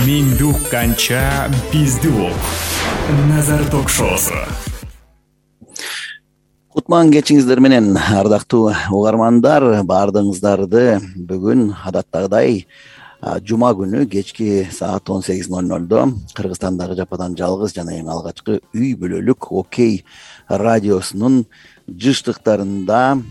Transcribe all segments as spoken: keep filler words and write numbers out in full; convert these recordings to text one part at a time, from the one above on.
Менди укканча бизди ук. Назар ток-шоусу. Кутман кечиңиздер менен, ардактуу угармандар. Баардыгыңыздарды бүгүн адаттагыдай жума күнү кечки саат он сегиз ноль нольдо Кыргызстандагы жападан жалгыз жана эң алгачкы үй бүлөлүк Окей радиосунун жыштыктарында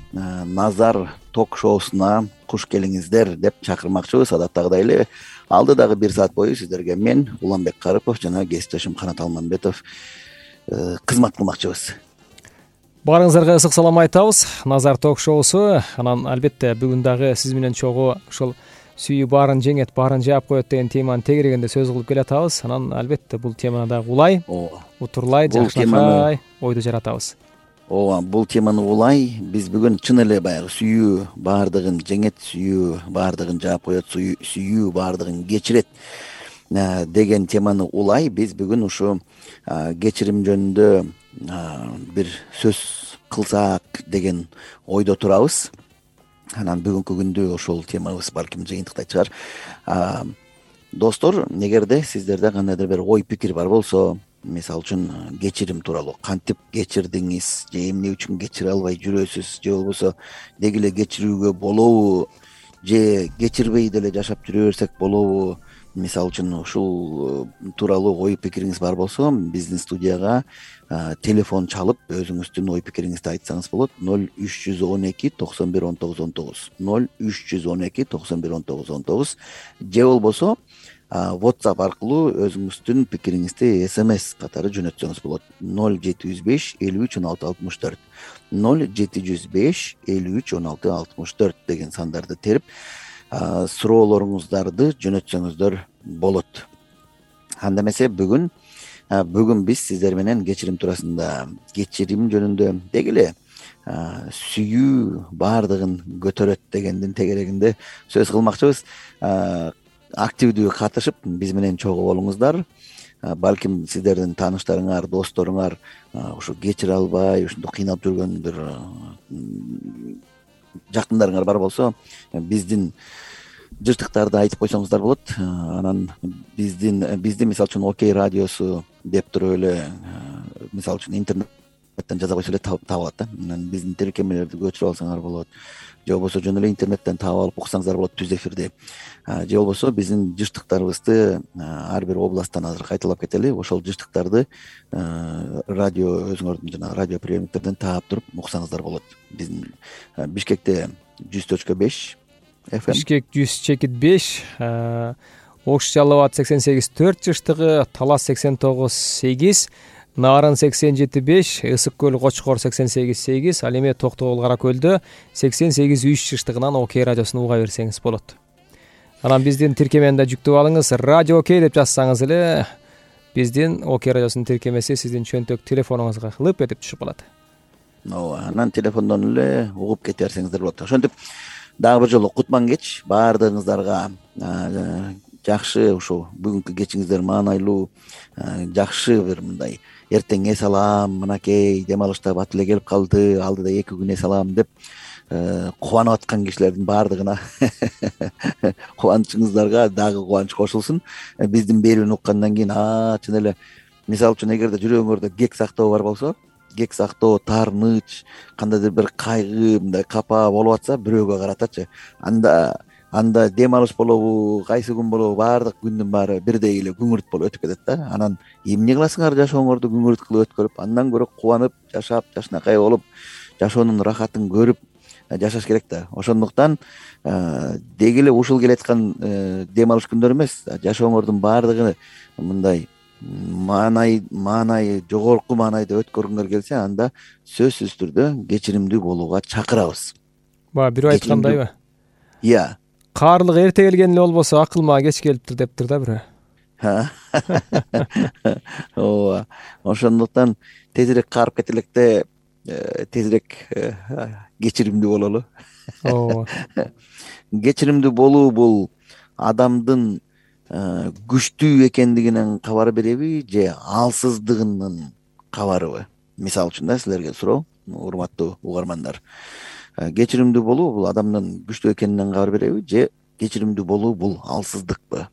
Назар ток-шоусуна куш келиңиздер деп чакырмакчыбыз. Адаттагыдай эле алдыдагы бир саат бою сиздерге мен Уланбек Карыпов жана кесиптешим Канат Алмамбетов кызмат кылмакчыбыз. Баарыңыздарга ысык салам айтабыз. Назар ток-шоусу. Анан албетте бүгүн дагы сиз менен чогуу ушул сүйүү баарын жеңет, баарын жаап коет деген теманы тегерегенде сөз кылып келатабыз. Анан албетте бул теманы дагы улай, утурлай, жакшыртпай ойду жаратабыз. Ооба, бул теманы улай биз бүгүн чын эле баягы сүйүү баардыгын жеңет, сүйүү баардыгын жаап коет, сүйүү баардыгын кечирет деген теманы улай биз бүгүн ушу кечирим жөнүндө бир сөз кылсак деген ойдо турабыз. Анан бүгүнкү күндү ошол темабыз балким жыйынтыктай чыгар. Достор, эгерде сиздерде кандайдыр бир ой пикир бар болсо, мисалы үчүн кечирим тууралуу, кантип кечирдиңиз, же эмне үчүн кечире албай жүрөсүз, же болбосо деги эле кечирүүгө болобу, же кечирбей деле жашап жүрө берсек болобу, мисалы үчүн ушул тууралуу ой пикириңиз бар болсо, биздин студияга телефон чалып өзүңүздүн ой пикириңизди айтсаңыз болот. ноль үч жүз он эки токсон бир он тогуз он тогуз ноль үч жүз он эки токсон бир он тогуз он тогуз же болбосо WhatsApp аркылуу өзүңүздүн пикириңизди смс катары жөнөтсөңүз болот. ноль жети жүз беш элүү үч он алты алтымыш төрт ноль жети жүз беш элүү үч он алты алтымыш төрт деген сандарды терип суроолоруңуздарды жөнөтсөңүздөр болот. Анда эмесе бүгүн бүгүн биз сиздер менен кечирим туурасында, кечирим жөнүндө деги эле сүйүү баардыгын көтөрөт дегендин тегерегинде сөз кылмакчыбыз. Активдүү катышып биз менен чогуу болуңуздар. Балким сиздердин тааныштарыңар, досторуңар ушу кечире албай ушундай кыйналып жүргөн бир жакындарыңар бар болсо, биздин жыштыктарды айтып койсоңуздар болот. Анан биздин бизди мисалы үчүн Окей радиосу деп туруп эле мисалы үчүн интернеттен жаза койсо эле таап алат да. Анан биздин тиркемелерди көчүрүп алсаңар болот. Же болбосо жөн эле интернеттен таап алып уксаңыздар болот түз эфирде. Же болбосо биздин жыштыктарыбызды ар бир областтан азыр кайталап кетели. Ошол жыштыктарды радио өзүңөрдүн жана радио приемниктерден таап туруп уксаңыздар болот. Биздин Бишкекте жүз точка беш эф эм, Бишкек жүз чекит беш, Ош Жалал Абад сексен сегиз төрт жыштыгы, Талас сексен тогуз сегиз, Нарын сексен жети беш, Ысык көл Кочкор сексен сегиз сегиз, ал эми Токтогул Кара көлдө сексен сегиз үч жыштыгынан Окей радиосуну уга берсеңиз болот. Анан биздин тиркемени да жүктөп алыңыз. Радио Окей деп жазсаңыз эле биздин Окей радиосунун тиркемеси сиздин чөнтөк телефонуңузга лып этип түшүп калат. Ооба, анан телефондон эле угуп кете берсеңиздер болот. Ошентип дагы бир жолу кутман кеч баардыгыңыздарга жакшы ушу бүгүнкү кечиңиздер маанайлуу, жакшы бир мындай эртең эс алам, мынакей дем алышта бат эле келип калды, алдыда эки күн эс алам деп кубанып аткан кишилердин баардыгына кубанычыңыздарга дагы кубаныч кошулсун. Биздин берүүнү уккандан кийин чын эле мисалы үчүн эгерде жүрөгүңөрдө кек сактоо бар болсо, кек сактоо, таарыныч, кандайдыр бир кайгы, мындай капа болуп атса, бирөөгө каратачы. Анда анда дем алыш болобу, кайсы күн болобу, баардык күндүн баары бирдей эле күңүрт болуп өтүп кетет да. Анан эмне кыласыңар жашооңорду күңүрт кылып өткөрүп, андан көрө кубанып, жашап, жашынакай болуп, жашоонун рахатын көрүп жашаш керек да. Ошондуктан деги эле ушул келаткан дем алыш күндөр эмес, жашооңордун баардыгы мындай маанай маанай жогорку маанайда өткөргүңөр келсе, анда сөзсүз түрдө кечиримдүү болууга чакырабыз. Баа бирөө айткандайбы? Ия. Каарлык эрте келген эле болбосо акылма кеч келиптир дептир да бирөө. Ооба. Ошондуктан тезирээк каарып кетелекте тезирээк кечиримдүү бололу. Ооба. Кечиримдүү болуу бул адамдын күчтүү экендигинен кабар береби, же алсыздыгынын кабарыбы? Мисалы үчүн да силерге суроо, урматтуу угармандар. Кечиримдүү болуу бул адамдын күчтүү экенинен кабар береби, же кечиримдүү болуу бул алсыздыкпы?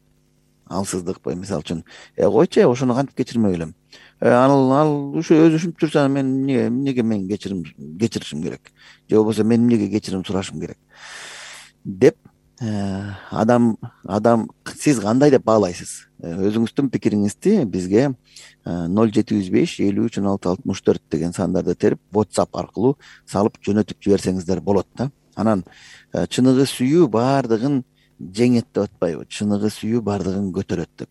алсыздыкпы, мисалы үчүн э койчу ошону кантип кечирмек элем, ал ал ушу өзү ушинтип жүрсө мен эмне эмнеге мен кечирим кечиришим керек, же болбосо мен эмнеге кечирим сурашым керек деп адам адам сиз кандай деп баалайсыз? Өзүңүздүн пикириңизди бизге ноль жети жүз беш элүү үч он алты алтымыш төрт деген сандарды терип WhatsApp аркылуу салып жөнөтүп жиберсеңиздер болот да. Анан чыныгы сүйүү баардыгын жеңет деп атпайбы, чыныгы сүйүү баардыгын көтөрөт деп.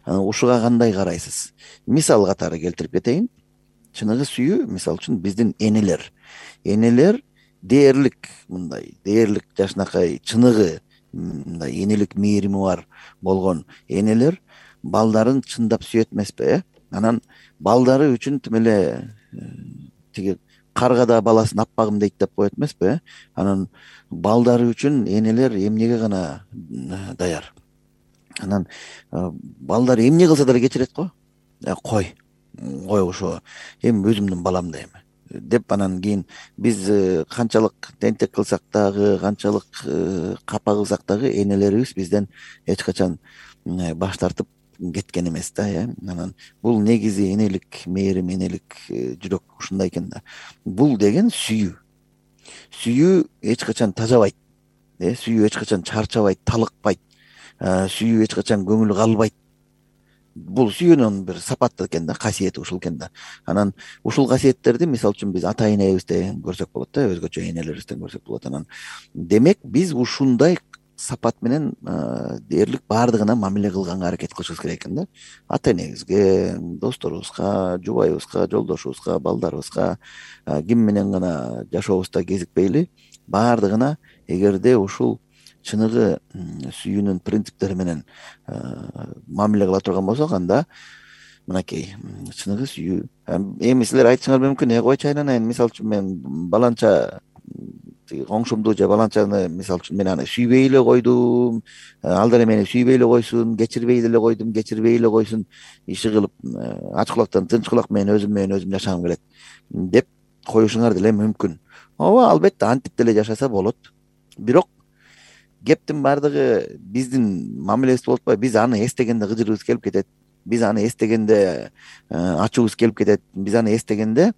Ушуга кандай карайсыз? Мисал катары келтирип кетейин. Чыныгы сүйүү мисалы үчүн биздин энелер энелер дээрлик, мындай дээрлик жашынакай чыныгы мындай энелик мээрими бар болгон энелер балдарын чындап сүйөт эмеспи, э анан балдары үчүн тим эле тиги каргада баласын аппагым дейт деп коет эмеспи, э анан балдары үчүн энелер эмнеге гана даяр. Анан балдар эмне кылса деле кечирет го. Кой кой ошо эми өзүмдүн балам да эми деп, анан кийин биз канчалык тентек кылсак дагы, канчалык капа кылсак дагы энелерибиз бизден эч качан баш тартып кеткен эмес да, э анан бул негизи энелик мээрим, энелик жүрөк ушундай экен да. Бул деген сүйүү. Сүйүү эч качан тажабайт, э сүйүү эч качан чарчабайт, талыкпайт, сүйүү эч качан көңүл калбайт. Бул сүйүүнүн бир сапаты экен да, касиети ушул экен да. Анан ушул касиеттерди мисалы үчүн биз ата энебизден көрсөк болот да, өзгөчө энелерибизден көрсөк болот. Анан демек биз ушундай сапат менен дээрлик баардыгына мамиле кылганга аракет кылышыбыз керек экен да. Ата энебизге, досторубузга, жубайыбызга, жолдошубузга, балдарыбызга, ким менен гана жашообузда кезикпейли, баардыгына эгерде ушул чыныгы сүйүүнүн принциптери менен мамиле кыла турган болсок, анда мынакей чыныгы сүйүү. Эми силер айтышыңар мүмкүн, э койчу айланайын, мисалы үчүн мен баланча коңшумду же баланчаны мисалы үчүн мен аны сүйбөй эле койдум, ал деле мени сүйбөй эле койсун, кечирбей деле койдум, кечирбей эле койсун, иши кылып ач кулактан тынч кулак менен өзүм менен өзүм жашагым келет деп коюшуңар деле мүмкүн. Ооба, албетте антип деле жашаса болот. Бирок кептин баардыгы биздин мамилебиз болуп атпайбы. Биз аны эстегенде кыжырыбыз келип кетет, биз аны эстегенде ачуубуз келип кетет, биз аны эстегенде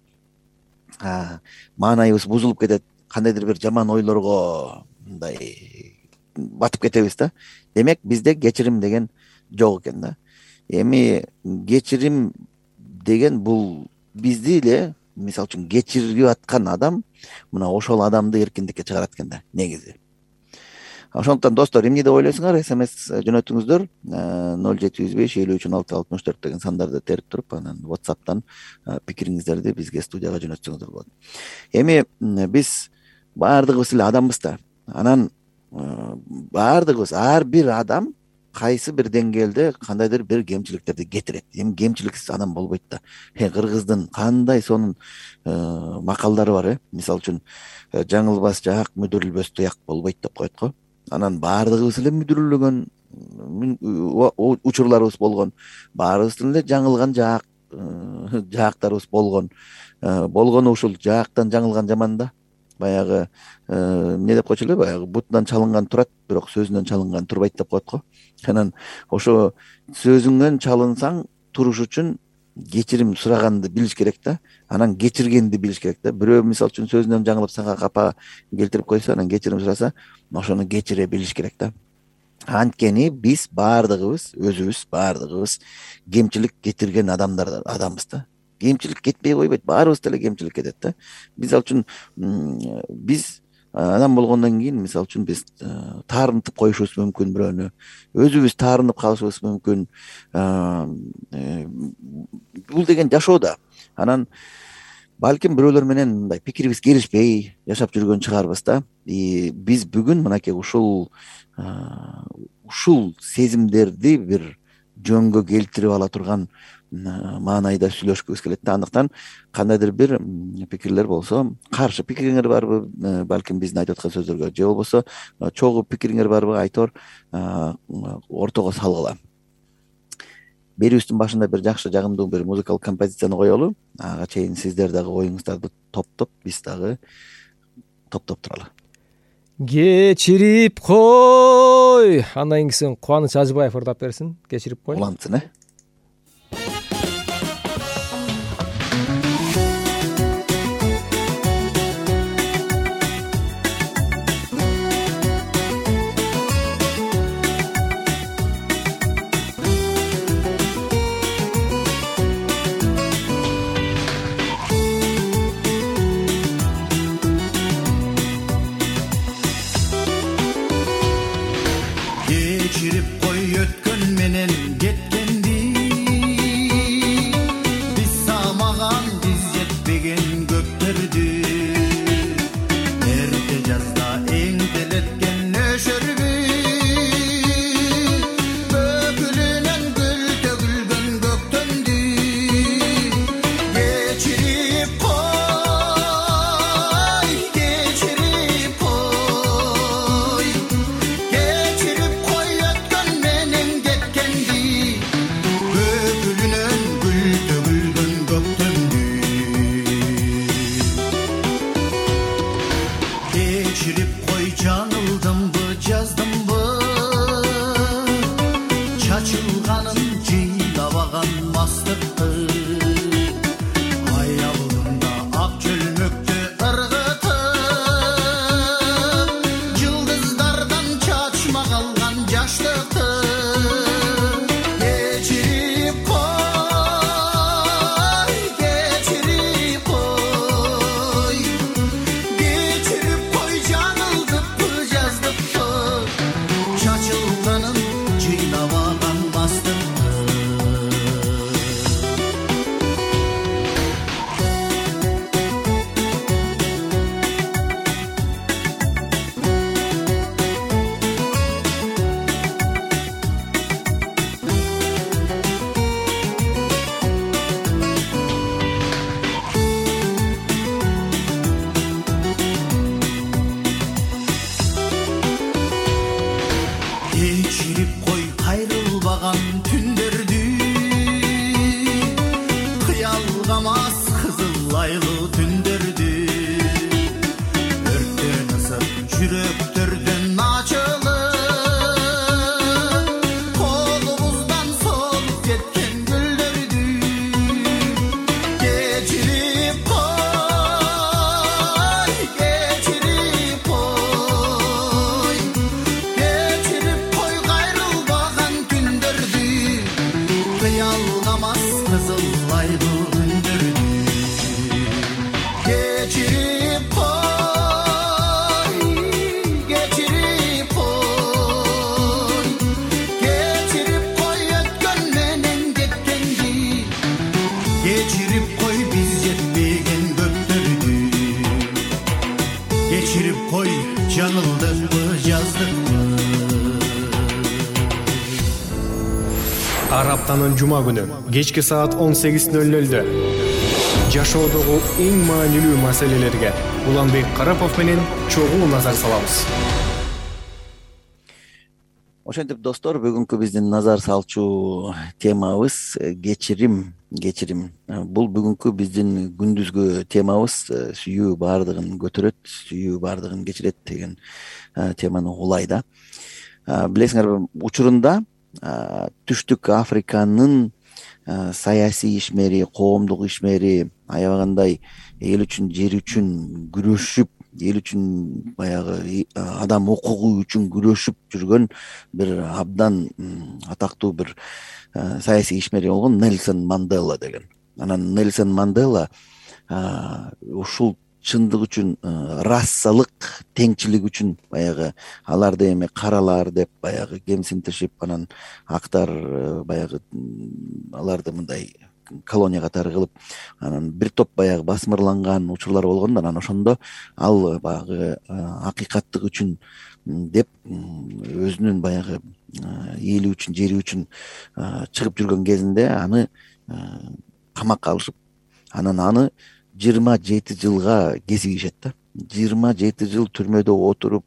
маанайыбыз бузулуп кетет, кандайдыр бир жаман ойлорго мындай батып кетебиз да. Демек бизде кечирим деген жок экен да. Эми кечирим деген бул бизди эле мисалы үчүн кечирип аткан адам мына ошол адамды эркиндикке чыгарат экен да негизи. Ошондуктан достор, эмне деп ойлойсуңар? СМС жөнөтүңүздөр ноль жети жүз беш элүү үч он алты алтымыш төрт деген сандарды терип туруп, анан WhatsApp'тан пикириңиздерди бизге студияга жөнөтсөңүздөр болот. Эми биз баардыгыбыз эле адамбыз да. Анан баардыгыбыз, ар бир адам кайсы бир деңгээлде кандайдыр бир кемчиликтерди кетирет. Эми кемчиликсиз адам болбойт да. Кыргыздын кандай сонун макалдары бар, э мисалы үчүн жаңылбас жаак, мүдүрүлбөс туяк болбойт деп коет го. Анан баардыгыбыз эле мүдүрүлгөн учурларыбыз болгон, баарыбыздын эле жаңылган жаак жаактарыбыз болгон. Болгону ушул жаактан жаңылган жаман да. Баягы эмне деп койчу эле, баягы бутунан чалынган турат, бирок сөзүнөн чалынган турбайт деп коет го. Анан ошо сөзүңөн чалынсаң туруш үчүн кечирим сураганды билиш керек да. Анан кечиргенди билиш керек да. Бирөө мисалы үчүн сөзүнөн жаңылып сага капа келтирип койсо, анан кечирим сураса, ошону кечире билиш керек да. Анткени биз баардыгыбыз, өзүбүз баардыгыбыз кемчилик кетирген адамдар адамбыз да. Кемчилик кетпей койбойт, баарыбыз деле кемчилик кетет да. Мисалы үчүн биз адам болгондон кийин мисалы үчүн биз таарынтып коюшубуз мүмкүн бирөөнү, өзүбүз таарынып калышыбыз мүмкүн. Бул деген жашоо да. Анан балким бирөөлөр менен мындай пикирибиз келишпей жашап жүргөн чыгарбыз да. Биз бүгүн мынакей ушул ушул сезимдерди бир жөнгө келтирип ала турган маанайда сүйлөшкүбүз келет да. Андыктан кандайдыр бир пикирлер болсо, каршы пикириңер барбы, балким биздин айтып аткан сөздөргө, же болбосо чогуу пикириңер барбы, айтор ортого салгыла. Берүүбүздүн башында бир жакшы жагымдуу бир музыкалык композицияны коелу. Ага чейин сиздер дагы оюңуздарды топтоп, биз дагы топтоп туралы. кечирип кой. Андан кийинкисин Кубаныч Ажыбаев ырдап берсин. Кечирип кой. Улантсын э. Кечирип кой өткөн менен кеткенди, биз самаган биз жетпеген көктөрдү, эрте жазда эңделеткен өшөрбү, бөкүлүнөн гүл төгүлгөн көктөндү. Кечирип кой, кечирип кой, кечирип кой өткөн менен кеткенди, бөкүлүнөн гүл төгүлгөн көктөндү. Кечирип кой, жаңылдымбы, жаздымбы, чачылганын жыйлабаган мастыкты, аялымда ак чөлмөктү ыргытып, жылдыздардан чачма калган жаштыкты. Кечирип кой, кечирип кой, кечирип кой, жаңылдыппы, жаздыппы, чачылганын жыйлабаган мастыкты. Кечирип кой, кайрылбаган түндөрдү, кыялгамас кызыл айлуу түндөрдү, өрттөн ысып жүрөктөрдөн ачылып, колубуздан солуп кеткен гүлдөрдү. Кечирип кой, кечирип кой, кечирип кой, кайрылбаган түндөрдү, кыялгамас кызыл айлуу түндөрдү. Кечирип кой, кечирип кой, кечирип кой, өткөн менен кеткенди, кечирип кой, биз жетпеген көктөрдү, кечирип кой, жаңылдыкпы, жаздыкпы. Ар аптанын жума күнү кечки саат он сегиз ноль нольдө жашоодогу эң маанилүү маселелерге Уланбек Карапов менен чогуу назар салабыз. Ошентип достор, бүгүнкү биздин назар салчу темабыз кечирим, кечирим. Бул бүгүнкү биздин күндүзгү темабыз. Сүйүү баардыгын көтөрөт, сүйүү баардыгын кечирет деген теманы улайда. Билесиңерби, учурунда Түштүк Африканын саясий ишмери, коомдук ишмери, аябагандай эл үчүн, жер үчүн күрөшүп, эл үчүн баягы адам укугу үчүн күрөшүп жүргөн бир абдан атактуу бир саясий ишмери болгон Нельсон Мандела деген. Анан Нельсон Мандела ушул чындык үчүн, расалык теңчилик үчүн баягы аларды эми каралар деп баягы кемсинтишип, анан актар баягы аларды мындай колония катары кылып, анан бир топ баягы басмырланган учурлар болгон. Анан ошондо ал баягы акыйкаттык үчүн деп өзүнүн баягы эли үчүн, жери үчүн чыгып жүргөн кезинде аны камакка алышып, анан аны жыйырма жети жылга кезигишет да. жыйырма жети жыл түрмөдө отуруп,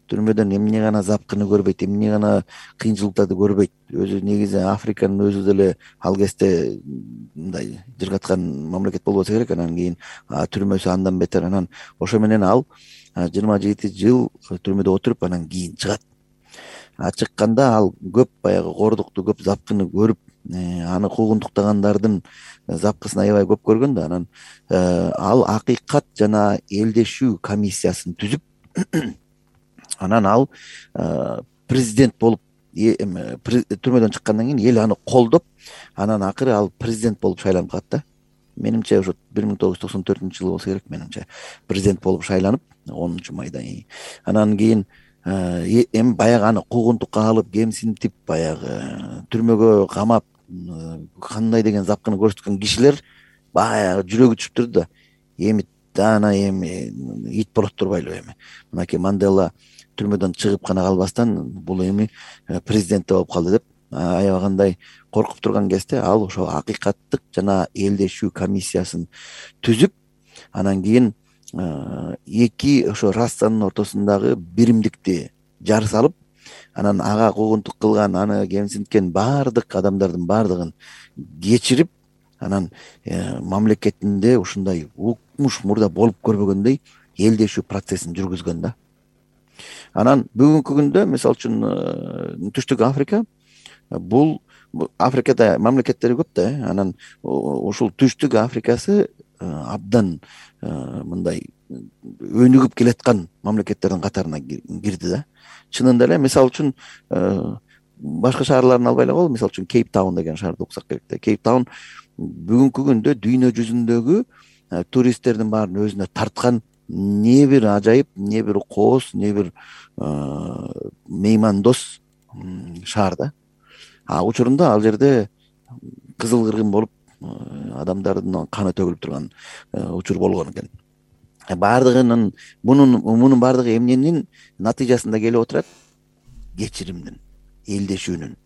түрмөдөн эмне гана запкыны көрбөйт, эмне гана кыйынчылыктарды көрбөйт. Өзү негизи Африканын өзү деле ал кезде мындай жыргаткан мамлекет болбосо керек. Анан кийин түрмөсү андан бетер. Анан ошо менен ал жыйырма жети жыл түрмөдө отуруп анан кийин чыгат. Чыкканда ал көп баягы кордукту, көп запкыны көрүп, аны куугунтуктагандардын запкысын аябай көп көргөн да. Анан ал акыйкат жана элдешүү комиссиясын түзүп, анан ал президент болуп, түрмөдөн чыккандан кийин эл аны колдоп, анан акыры ал президент болуп шайланып калат да. Менимче ошо бир миң тогуз жүз токсон төртүнчү жылы болсо керек, менимче президент болуп шайланып онунчу майда. Анан кийин эми баягы аны куугунтукка алып, кемсинтип, баягы түрмөгө камап, кандай деген запкыны көрсөткөн кишилер баягы жүрөгү түшүп турду да. Эми ана эми ит болот турбайлыбы эми. Мынакей Мандела түрмөдөн чыгып гана калбастан бул эми президент болуп калды деп аябагандай коркуп турган кезде ал ошо акыйкаттык жана элдешүү комиссиясын түзүп, анан кийин эки ошо расанын ортосундагы биримдикти жар салып, анан ага куугунтук кылган, аны кемсинткен баардык адамдардын баардыгын кечирип, анан мамлекетинде ушундай укмуш мурда болуп көрбөгөндөй элдешүү процессин жүргүзгөн да. Анан бүгүнкү күндө мисалы үчүн Түштүк Африка, бул Африкада мамлекеттери көп да. Анан ушул Түштүк Африкасы абдан мындай өнүгүп келаткан мамлекеттердин катарына кирди да. Чынында эле мисалы үчүн башка шаарларын албай эле коелу, мисалы үчүн Кейптаун деген шаарды уксак керек да. Кейптаун бүгүнкү күндө дүйнө жүзүндөгү туристтердин баарын өзүнө тарткан не бир ажайып, не бир кооз, не бир меймандос шаар да. А учурунда ал жерде кызыл кыргын болуп, адамдардын каны төгүлүп турган учур болгон экен. Баардыгынын мунун мунун баардыгы эмненин натыйжасында келип отурат? Кечиримдин, элдешүүнүн.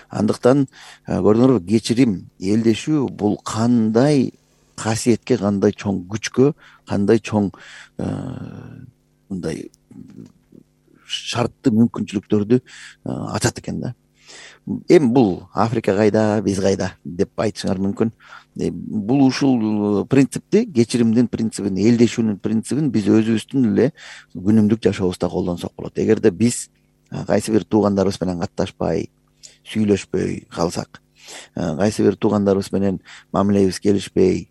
Андыктан көрдүңөрбү, кечирим, элдешүү бул кандай касиетке, кандай чоң күчкө, кандай чоң мындай шарттуу мүмкүнчүлүктөрдү ачат экен да. Эми бул Африка кайда, биз кайда деп айтышыңар мүмкүн. Бул ушул принципти, кечиримдин принцибин, элдешүүнүн принцибин биз өзүбүздүн эле күнүмдүк жашообузда колдонсок болот. Эгерде биз кайсы бир туугандарыбыз менен катташпай, сүйлөшпөй калсак, кайсы бир туугандарыбыз менен мамилебиз келишпей,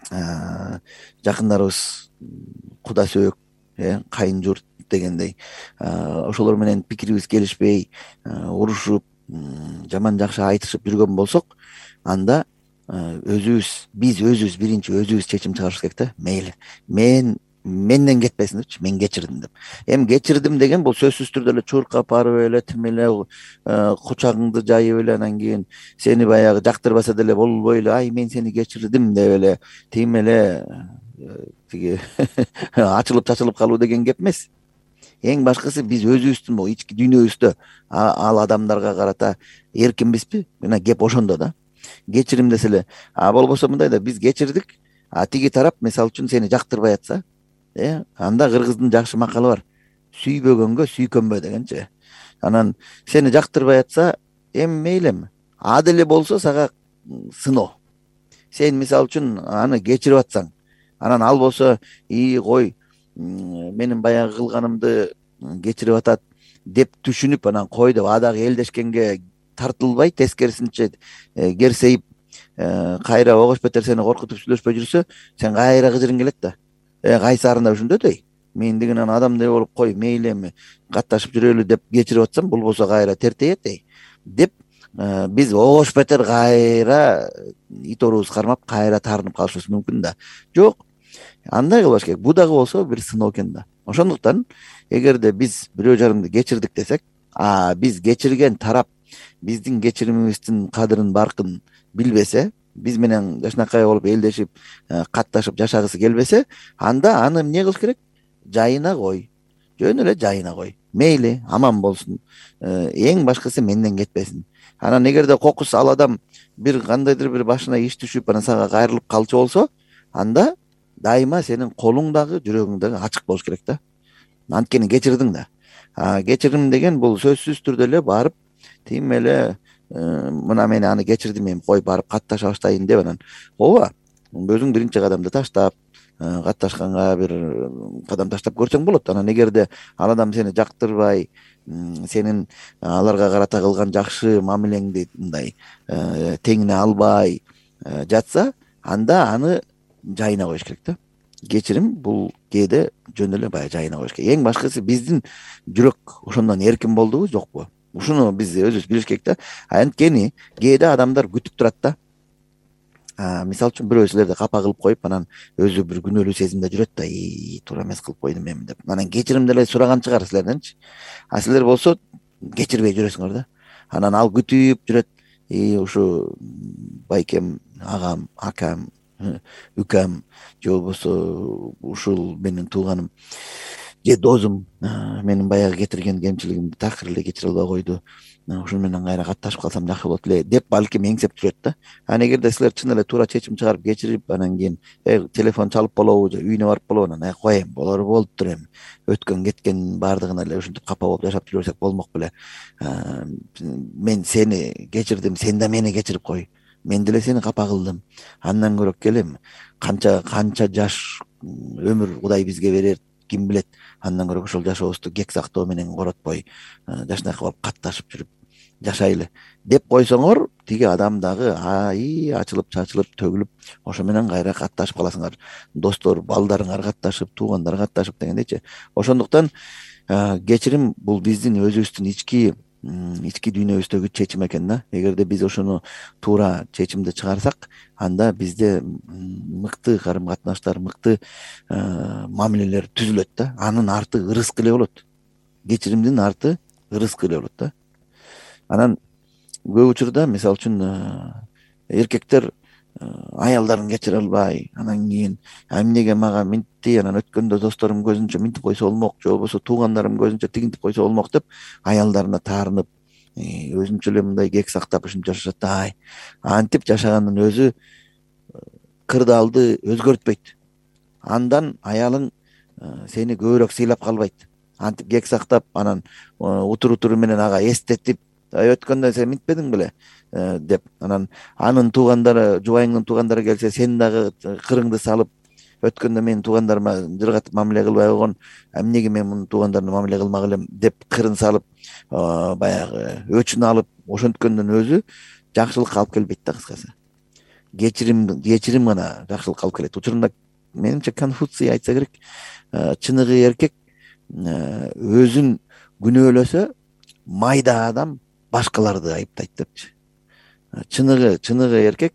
жакындарыбыз куда сөөк, кайын журт дегендей, ошолор менен пикирибиз келишпей, урушуп, жаман жакшы айтышып жүргөн болсок, анда өзүбүз, биз өзүбүз биринчи өзүбүз чечим чыгарышыбыз керек да. Мейли, мен менден кетпесин депчи, мен кечирдим деп. Эми кечирдим деген бул сөзсүз түрдө эле чуркап барып эле, тим эле кучагыңды жайып эле, анан кийин сени баягы жактырбаса деле болбой эле, ай мен сени кечирдим деп эле, тим эле тиги ачылып чачылып калуу деген кеп эмес. Эң башкысы биз өзүбүздүн бул ички дүйнөбүздө ал адамдарга карата эркинбизби? Мына кеп ошондо да. Кечирим десе эле, а болбосо мындай да, биз кечирдик, а тиги тарап мисалы үчүн сени жактырбай атса, э, анда кыргыздын жакшы макалы бар. Сүйбөгөнгө сүйкөнбө дегенчи. Анан сени жактырбай атса, эми мейлими, а деле болсо сага сыноо. Сен мисалы үчүн аны кечирип атсаң, анан ал болсо, и кой, менин баягы кылганымды кечирип атат деп түшүнүп, анан кой деп адагы элдешкенге тартылбай, тескерисинче керсейип, кайра огош бетер сени коркутуп сүйлөшпөй жүрсө, сен кайра кыжырың келет да. Э, кайсарында ушундөдөй. Мен деген адамдай болуп кой, мейли эми катташып жүрөлү деп кечирип атсам, болбосо кайра тертейет эй деп, биз огош бетер кайра ит орубуз кармап, кайра таарынып калышыбыз мүмкүн да. Жок, андай кылбаш керек. Бул дагы болсо бир сыноо экен да. Ошондуктан эгерде биз бирөө жарымды кечирдик десек, а биз кечирген тарап биздин кечиримибиздин кадырын, баркын билбесе, биз менен жашынакай болуп элдешип, катташып жашагысы келбесе, анда аны эмне кылыш керек? Жайына кой. Жөн эле жайына кой. Мейли, аман болсун. Эң башкысы менден кетпесин. Анан эгерде кокус ал адам бир кандайдыр бир башына иш түшүп, анан сага кайрылып калчу болсо, анда дайыма сенин колуң дагы, жүрөгүң дагы ачык болуш керек да. Анткени кечирдиң да. А кечирим деген бул сөзсүз түрдө эле барып, тим эле мына мен аны кечирдим, эми кой барып катташа баштайын деп, анан ооба, өзүң биринчи кадамды таштап, катташканга бир кадам таштап көрсөң болот. Анан эгерде ал адам сени жактырбай, сенин аларга карата кылган жакшы мамилеңди мындай теңине албай жатса, анда аны жайына коюш керек да. Кечирим бул кээде жөн эле баягы жайына коюш керек. Эң башкысы биздин жүрөк ошондон эркин болдубу, жокпу? Ушуну биз өзүбүз билиш керек да. Анткени кээде адамдар күтүп турат да. Мисалы үчүн бирөө силерди капа кылып коюп, анан өзү бир күнөөлүү сезимде жүрөт да, и туура эмес кылып койдум эми деп. Анан кечирим деле сураган чыгар силерденчи. А силер болсо кечирбей жүрөсүңөр да. Анан ал күтүп жүрөт. И ушу байкем, агам, акам, үкам же болбосо ушул менин тууганым же досум менин баягы кетирген кемчилигимди такыр эле кечире албай койду. Ушуну менен кайра катташып калсам жакшы болот эле деп балким эңсеп жүрөт да. Анан эгерде силер чын эле туура чечим чыгарып кечирип, анан кийин телефон чалып болобу же үйүнө барып болобу, анан коеюн, болор болуптур эми. Өткөн кеткен баардыгына эле ушинтип капа болуп жашап жүрө берсек болмок беле. Мен сени кечирдим, сен да мени кечирип кой. Мен деле сени капа кылдым. Андан көрөк келем. Канча канча жаш өмүр Кудай бизге берер, ким билет. Андан көрөк ошол жашообузду кек сактоо менен коротпой, жашынакай болуп катташып жүрүп жашайлы деп койсоңор, тиги адам дагы ай ачылып чачылып төгүлүп, ошо менен кайра катташып каласыңар. Достор, балдарыңар катташып, туугандар катташып дегендейчи. Ошондуктан кечирим бул биздин өзүбүздүн ички ички дүйнөбүздөгү чечим экен да. Эгерде биз ошону туура чечимди чыгарсак, анда бизде мыкты карым катнаштар, мыкты мамилелер түзүлөт да. Анын арты ырыскы эле болот. Кечиримдин арты ырыскы эле болот да. Анан көп учурда мисалы үчүн эркектер аялдарын кечире албай, анан кийин эмнеге мага минтти, анан өткөндө досторум көзүнчө минтип койсо болмок, же болбосо туугандарым көзүнчө тигинтип койсо болмок деп аялдарына таарынып, өзүнчө эле мындай кек сактап ушинтип жашашат да. Ай, антип жашаганын өзү кырдаалды өзгөртпөйт. Андан аялың сени көбүрөөк сыйлап калбайт. Антип кек сактап, анан утур утуру менен ага эстетип, өткөндө сен минтпедиң беле деп, анан анын туугандары, жубайыңдын туугандары келсе, сен дагы кырыңды салып, өткөндө менин туугандарыма жыргатып мамиле кылбай койгон, эмнеге мен мунун туугандарына мамиле кылмак элем деп кырын салып, баягы өчүн алып, ошонткөндөн өзү жакшылыкка алып келбейт да, кыскасы. Кечирим кечирим гана жакшылыкка алып келет. Учурунда менимче Конфуций айтса керек, чыныгы эркек өзүн күнөөлөсө, майда адам башкаларды айыптайт депчи. Чыныгы чыныгы эркек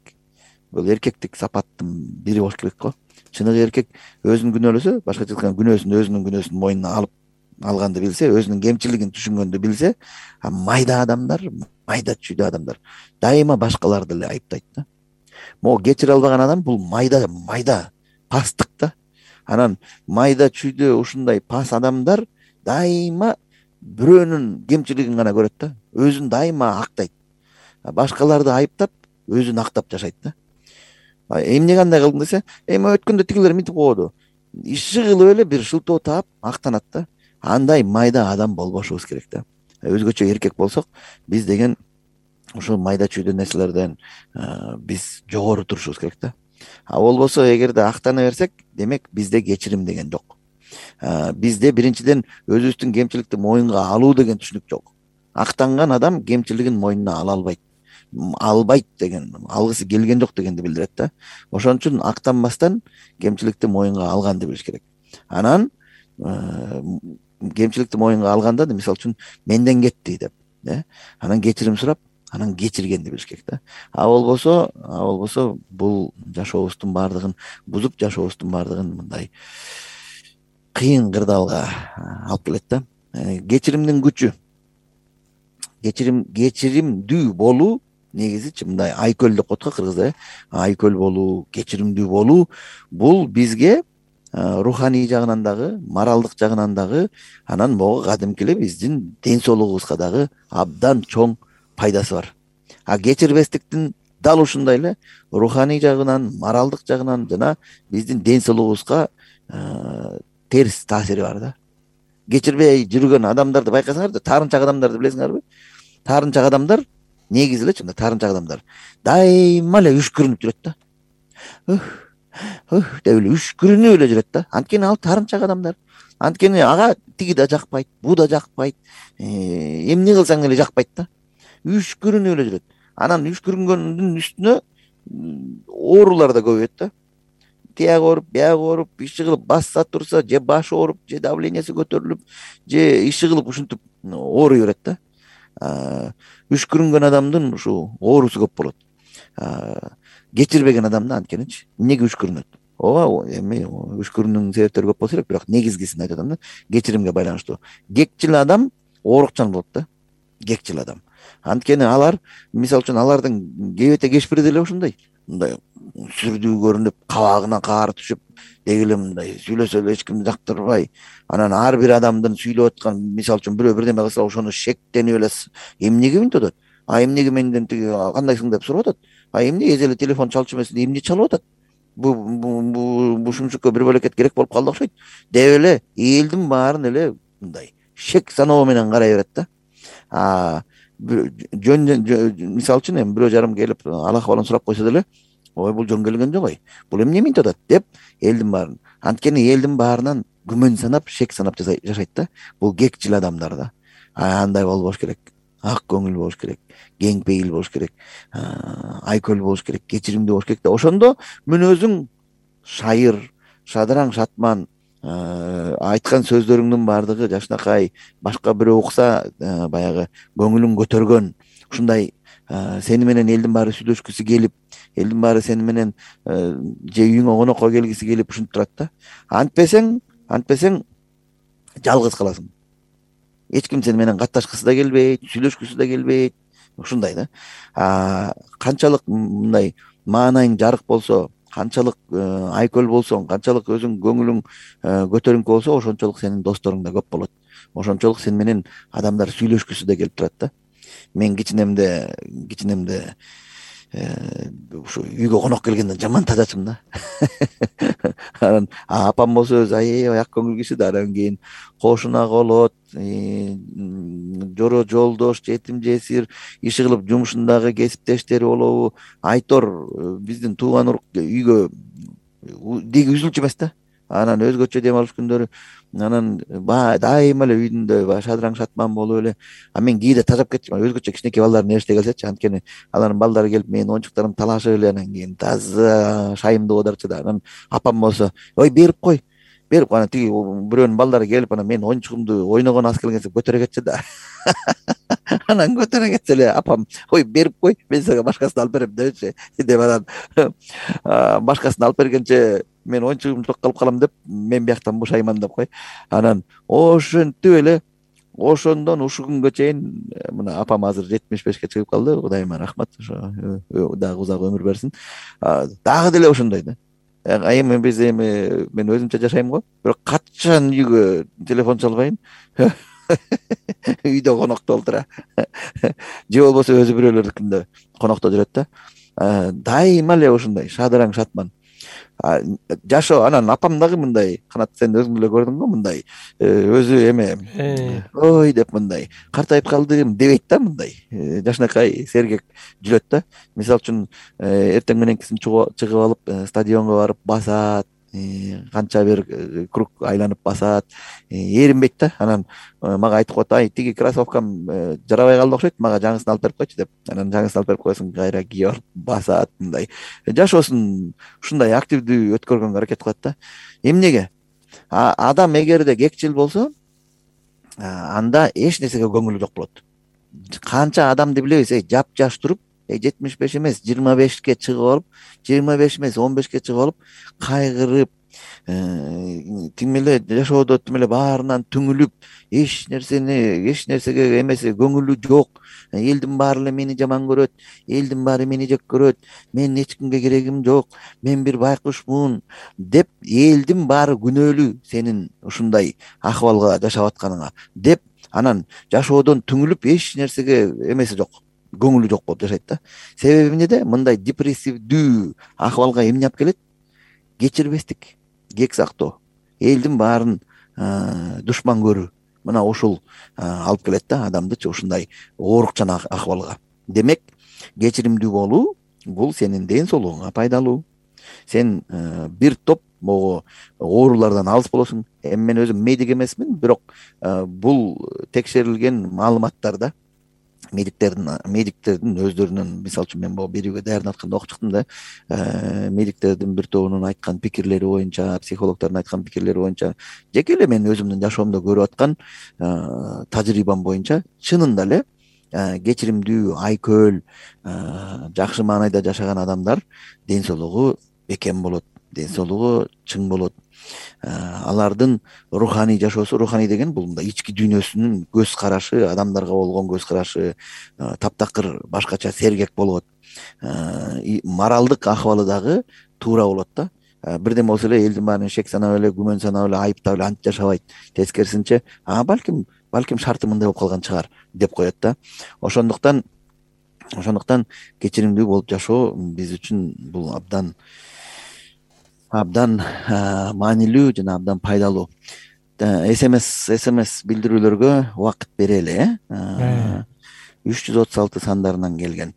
бул эркектик сапаттын бири болуш керек го. Чыныгы эркек өзүн күнөөлөсө, башкача айтканда күнөөсүн өзүнүн күнөөсүн мойнуна алып алганды билсе, өзүнүн кемчилигин түшүнгөндү билсе, майда адамдар, майда чүйдө адамдар дайыма башкаларды эле айыптайт да. Могу кечире албаган адам бул майда майда пастык да. Анан майда чүйдө ушундай пас адамдар дайыма бирөөнүн кемчилигин гана көрөт да. Өзүн дайыма актайт. Башкаларды айыптап, өзүн актап жашайт да. Эмне кандай кылдың десе, эми өткөндө тигилер минтип койду. Иши кылып эле бир шылтоо таап актанат да. Андай майда адам болбошубуз керек да. Өзгөчө эркек болсок, биз деген ушул майда чүйдө нерселерден биз жогору турушубуз керек да. А болбосо эгерде актана берсек, демек бизде кечирим деген жок. Бизде биринчиден өзүбүздүн кемчиликти моюнга алуу деген түшүнүк жок. Актанган адам кемчилигин мойнуна ала албайт. Албайт деген, алгысы келген жок дегенди билдирет да. Ошон үчүн актанбастан кемчиликти моюнга алганды билиш керек. Анан кемчиликти моюнга алганда, мисалы үчүн менден кетти деп, анан кечирим сурап, анан кечиргенди билиш керек да. А болбосо, а болбосо бул жашообуздун баардыгын бузуп, жашообуздун баардыгын мындай кыйын кырдаалга алып келет да. Кечиримдин күчү. Кечирим кечиримдүү болуу негизичи мындай айкөл деп коет го кыргызда, айкөл болуу, кечиримдүү болуу бул бизге руханий жагынан дагы, моралдык жагынан дагы, анан могу кадимки эле биздин ден соолугубузга дагы абдан чоң пайдасы бар. А кечирбестиктин дал ушундай эле руханий жагынан, моралдык жагынан жана биздин ден соолугубузга терс таасири бар да. Кечирбей жүргөн адамдарды байкасаңар, таарынчак адамдарды билесиңерби? Таарынчак адамдар негизи эле чында таарынчак адамдар дайыма эле үшкүрүнүп жүрөт да. деп эле үшкүрүнүп эле жүрөт да. Анткени ал таарынчак адамдар. Анткени ага тиги да жакпайт, бу да жакпайт, эмне кылсаң эле жакпайт да. Үшкүрүнүп эле жүрөт. Анан үшкүрүнгөндүн үстүнө оорулар да көбөйөт да. Тияк ооруп, бияк ооруп, иши кылып басса турса, же башы ооруп, же давлениясы көтөрүлүп, же иши кылып ушинтип ооруй берет да. Үшкүрүнгөн адамдын ушу оорусу көп болот. Кечирбеген адамда анткеничи эмнеге үшкүрүнөт? Ооба, эми үшкүрүүнүн себептери көп болсо керек, бирок негизгисин айтып атам да. Кечиримге байланыштуу. Кекчил адам оорукчан болот да. Кекчил адам. Анткени алар, мисалы үчүн, алардын кебете кешпири деле ошондой. Мындай сүрдүү көрүнүп, кабагына каар түшүп, деги эле мындай сүйлөсө эле эч кимди жактырбай, анан ар бир адамдын сүйлөп аткан, мисалы үчүн бирөө бирдеме кылса, ошону шектенип эле эмнеге мынтип атат? А эмнеге менден тиги кандайсың деп сурап атат? А эмне эже эле телефон чалчу эмес, эмне чалып атат? Бу бу шумшукка бир бөлөкет керек болуп калды окшойт деп эле элдин баарын эле мындай шек саноо менен карай берет да. А жөн мисалы үчүн эми бирөө жарым келип ал акыбалын сурап койсо деле, ой бул жөн келген жок, ой бул эмне мынтип атат деп элдин баарын, анткени элдин баарынан күмөн санап, шек санап жашайт да. Бул кекчил адамдар да. Андай болбош керек, ак көңүл болуш керек, кең пейил болуш керек, айкөл болуш керек, кечиримдүү болуш керек да. Ошондо мүнөзүң шайыр, шадыраң, шатман, айткан сөздөрүңдүн баардыгы жакшынакай, башка бирөө укса баягы көңүлүң көтөргөн, ушундай сени менен элдин баары сүйлөшкүсү келип, элдин баары сени менен же үйүңө конокко келгиси келип ушинтип турат да. Антпесең, антпесең жалгыз каласың. Эч ким сени менен катташкысы да келбейт, сүйлөшкүсү да келбейт. Ушундай да. Канчалык мындай маанайың жарык болсо, канчалык айкөл болсоң, канчалык өзүң көңүлүң көтөрүңкү болсо, ошончолук сенин досторуң да көп болот. Ошончолук сени менен адамдар сүйлөшкүсү да келип турат да. Мен кичинемде, кичинемде ушу үйгө конок келгенде жаман тазачымын да. Анан апам болсо өзү аябай ак көңүл киши да. Анан кийин кошуна колот, жоро жолдош, жетим жесир, иши кылып жумушундагы кесиптештери болобу, айтор биздин тууган урук үйгө диги үзүлчү эмес да. Анан өзгөчө дем алыш күндөрү, анан дайыма эле үйдүндө шадыраң, шатман болуп эле. А мен кээде тажап кетчүмүн, өзгөчө кичинекей балдар нерсе келсечи, анткени алардын балдары келип менин оюнчуктарымды талашып эле, анан кийин таза шайымды кодарчу да. Анан апам болсо, ой берип кой, берип кой, анан тиги бирөөнүн балдары келип, анан менин оюнчугумду ойногон аз келгенсе көтөрө кетчү да. Анан көтөрө кетсе эле апам, ой берип кой, мен сага башкасын алып берем дебечи деп, анан башкасын алып бергенче мен оюнчугумду жок кылып калам деп, мен бияктан бушайман деп кой. Анан ошентип эле, ошондон ушу күнгө чейин мына апам азыр жетимиш бешке чыгып калды, Кудайыма рахмат, ошо дагы узак өмүр берсин. Дагы деле ошондой да. Эми биз эми мен өзүмчө жашайм го, бирок качан үйгө телефон чалбайм, үйдө конокто отура, же болбосо өзү бирөөлөрдүкүндө конокто жүрөт да. Дайыма эле ушундай шадыраң, шатман жашоо. Анан апам дагы мындай, канат сен өзүң деле көрдүң го, мындай өзү эме ой деп мындай картайып калдым дебейт да, мындай жакшынакай сергек жүрөт да. Мисалы үчүн эртең мененкисин чыгып алып стадионго барып басат, канча бир круг айланып басат, эринбейт да. Анан мага айтып коет, ай тиги кроссовкам жарабай калды окшойт, мага жаңысын алып берип койчу деп. Анан жаңысын алып берип койсоң, кайра кийип алып басат, мындай жашоосун ушундай активдүү өткөргөнгө аракет кылат да. Эмнеге? Адам эгерде кекчил болсо, анда эч нерсеге көңүлү жок болот. Канча адамды билебиз, жапжаш туруп, жетимиш беш эмес, жыйырма бешке чыгып алып, жыйырма беш эмес, он бешке чыгып алып, кайгырып, тим эле жашоодо тим эле баарынан түңүлүп, эч нерсени, эч нерсеге эмеси көңүлү жок, элдин баары эле мени жаман көрөт, элдин баары мени жек көрөт, менин эч кимге керегим жок, мен бир байкушмун деп, элдин баары күнөөлүү сенин ушундай акыбалга жашап атканыңа деп, анан жашоодон түңүлүп, эч нерсеге эмеси жок, көңүлү жок болуп жашайт да. Себеби эмнеде? Мындай депрессивдүү акыбалга эмне алып келет? Кечирбестик, кек сактоо, элдин баарын душман көрүү. Мына ушул алып келет да адамдычы ушундай оорукчан акыбалга. Демек, кечиримдүү болуу бул сенин ден соолугуңа пайдалуу. сен бир топ могу оорулардан алыс болосуң. Эми мен өзүм медик эмесмин, бирок бул текшерилген маалыматтар да. Медиктердин медиктердин өздөрүнүн, мисалы үчүн мен могу берүүгө даярданып атканда окуп чыктым да. Медиктердин бир тобунун айткан пикирлери боюнча, психологдордун айткан пикирлери боюнча, жеке эле мен өзүмдүн жашоомдо көрүп аткан тажрыйбам боюнча чынында эле кечиримдүү, айкөл, жакшы маанайда жашаган адамдар ден соолугу бекем болот, ден соолугу чың болот. Алардын руханий жашоосу, руханий деген бул мындай ички дүйнөсүнүн көз карашы, адамдарга болгон көз карашы таптакыр башкача, сергек болот. Моралдык акыбалы дагы туура болот да. Бирден болсо эле элдин баарын шек санап эле, күмөн санап эле, айыптап эле антип жашабайт. Тескерисинче, а балким балким шарты мындай болуп калган чыгар деп коет да. Ошондуктан ошондуктан кечиримдүү болуп жашоо биз үчүн бул абдан абдан маанилүү жана абдан пайдалуу. СМС СМС билдирүүлөргө убакыт берели. үч жүз отуз алты сандарынан келген.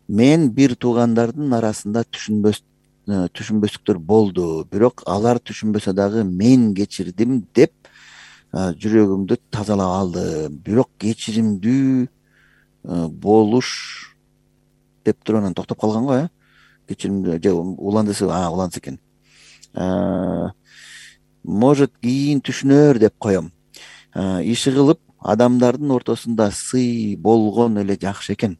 Мен бир туугандардын арасында түшүнбөс түшүнбөстүктөр болду, бирок алар түшүнбөсө дагы мен кечирдим деп жүрөгүмдү тазалап алды. Бирок кечиримдүү болуш деп туруп анан токтоп калган го, э? Кечиримдүү же уландысы, а уландысы экен. Может, кийин түшүнөр деп коем. Иши кылып адамдардын ортосунда сый болгон эле жакшы экен.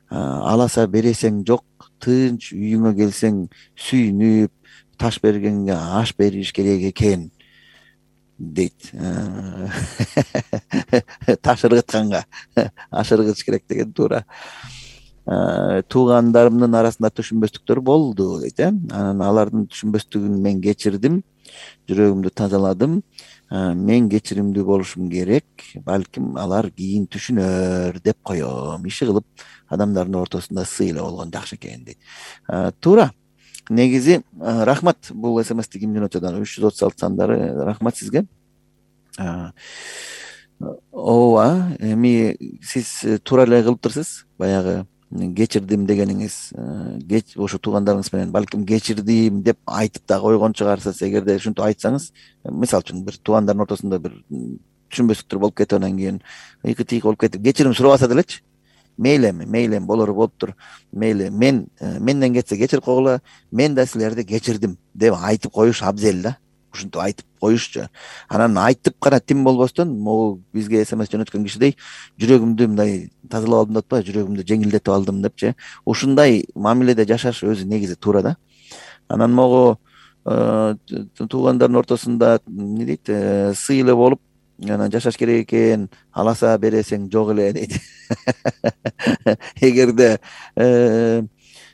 Аласа бересең жок, тынч үйүңө келсең сүйүнүп, таш бергенге аш бериш керек экен дейт. Таш ыргытканга аш ыргытыш керек деген туура. Туугандарымдын арасында түшүнбөстүктөр болду дейт, э? Анан алардын түшүнбөстүгүн мен кечирдим, жүрөгүмдү тазаладым. Мен кечиримдүү болушум керек, балким алар кийин түшүнөр деп коем. Иши кылып адамдардын ортосунда сый эле болгон жакшы экен дейт. Туура. Негизи рахмат бул СМСти ким жөнөтөдөн үч жүз отуз алты сандары. Рахмат сизге. Ооба, эми сиз туура эле кылыптырсыз. Баягы кечирдим дегениңиз, ошо туугандарыңыз менен балким кечирдим деп айтып да койгон чыгарсыз. Эгерде ушинтип айтсаңыз, мисалы үчүн бир туугандардын ортосунда бир түшүнбөстүктөр болуп кетип, анан кийин ыйкы тыйкы болуп кетип, кечирим сурабаса делечи, мейли эми, мейли эми болору болуптур. Мейли, мен менден кетсе кечирип койгула, мен да силерди кечирдим деп айтып коюш абзел да. Ушинтип айтып коюшчу. Анан айтып гана тим болбостон, могу бизге СМС жөнөткөн кишидей жүрөгүмдү мындай тазалап алдым деп атпайбы, жүрөгүмдү жеңилдетип алдым депчи. Ушундай мамиледе жашаш өзү негизи туура да. Анан могу туугандардын ортосунда эмне дейт, сый эле болуп, анан жашаш керек экен, аласа бересең жок эле дейт. Эгерде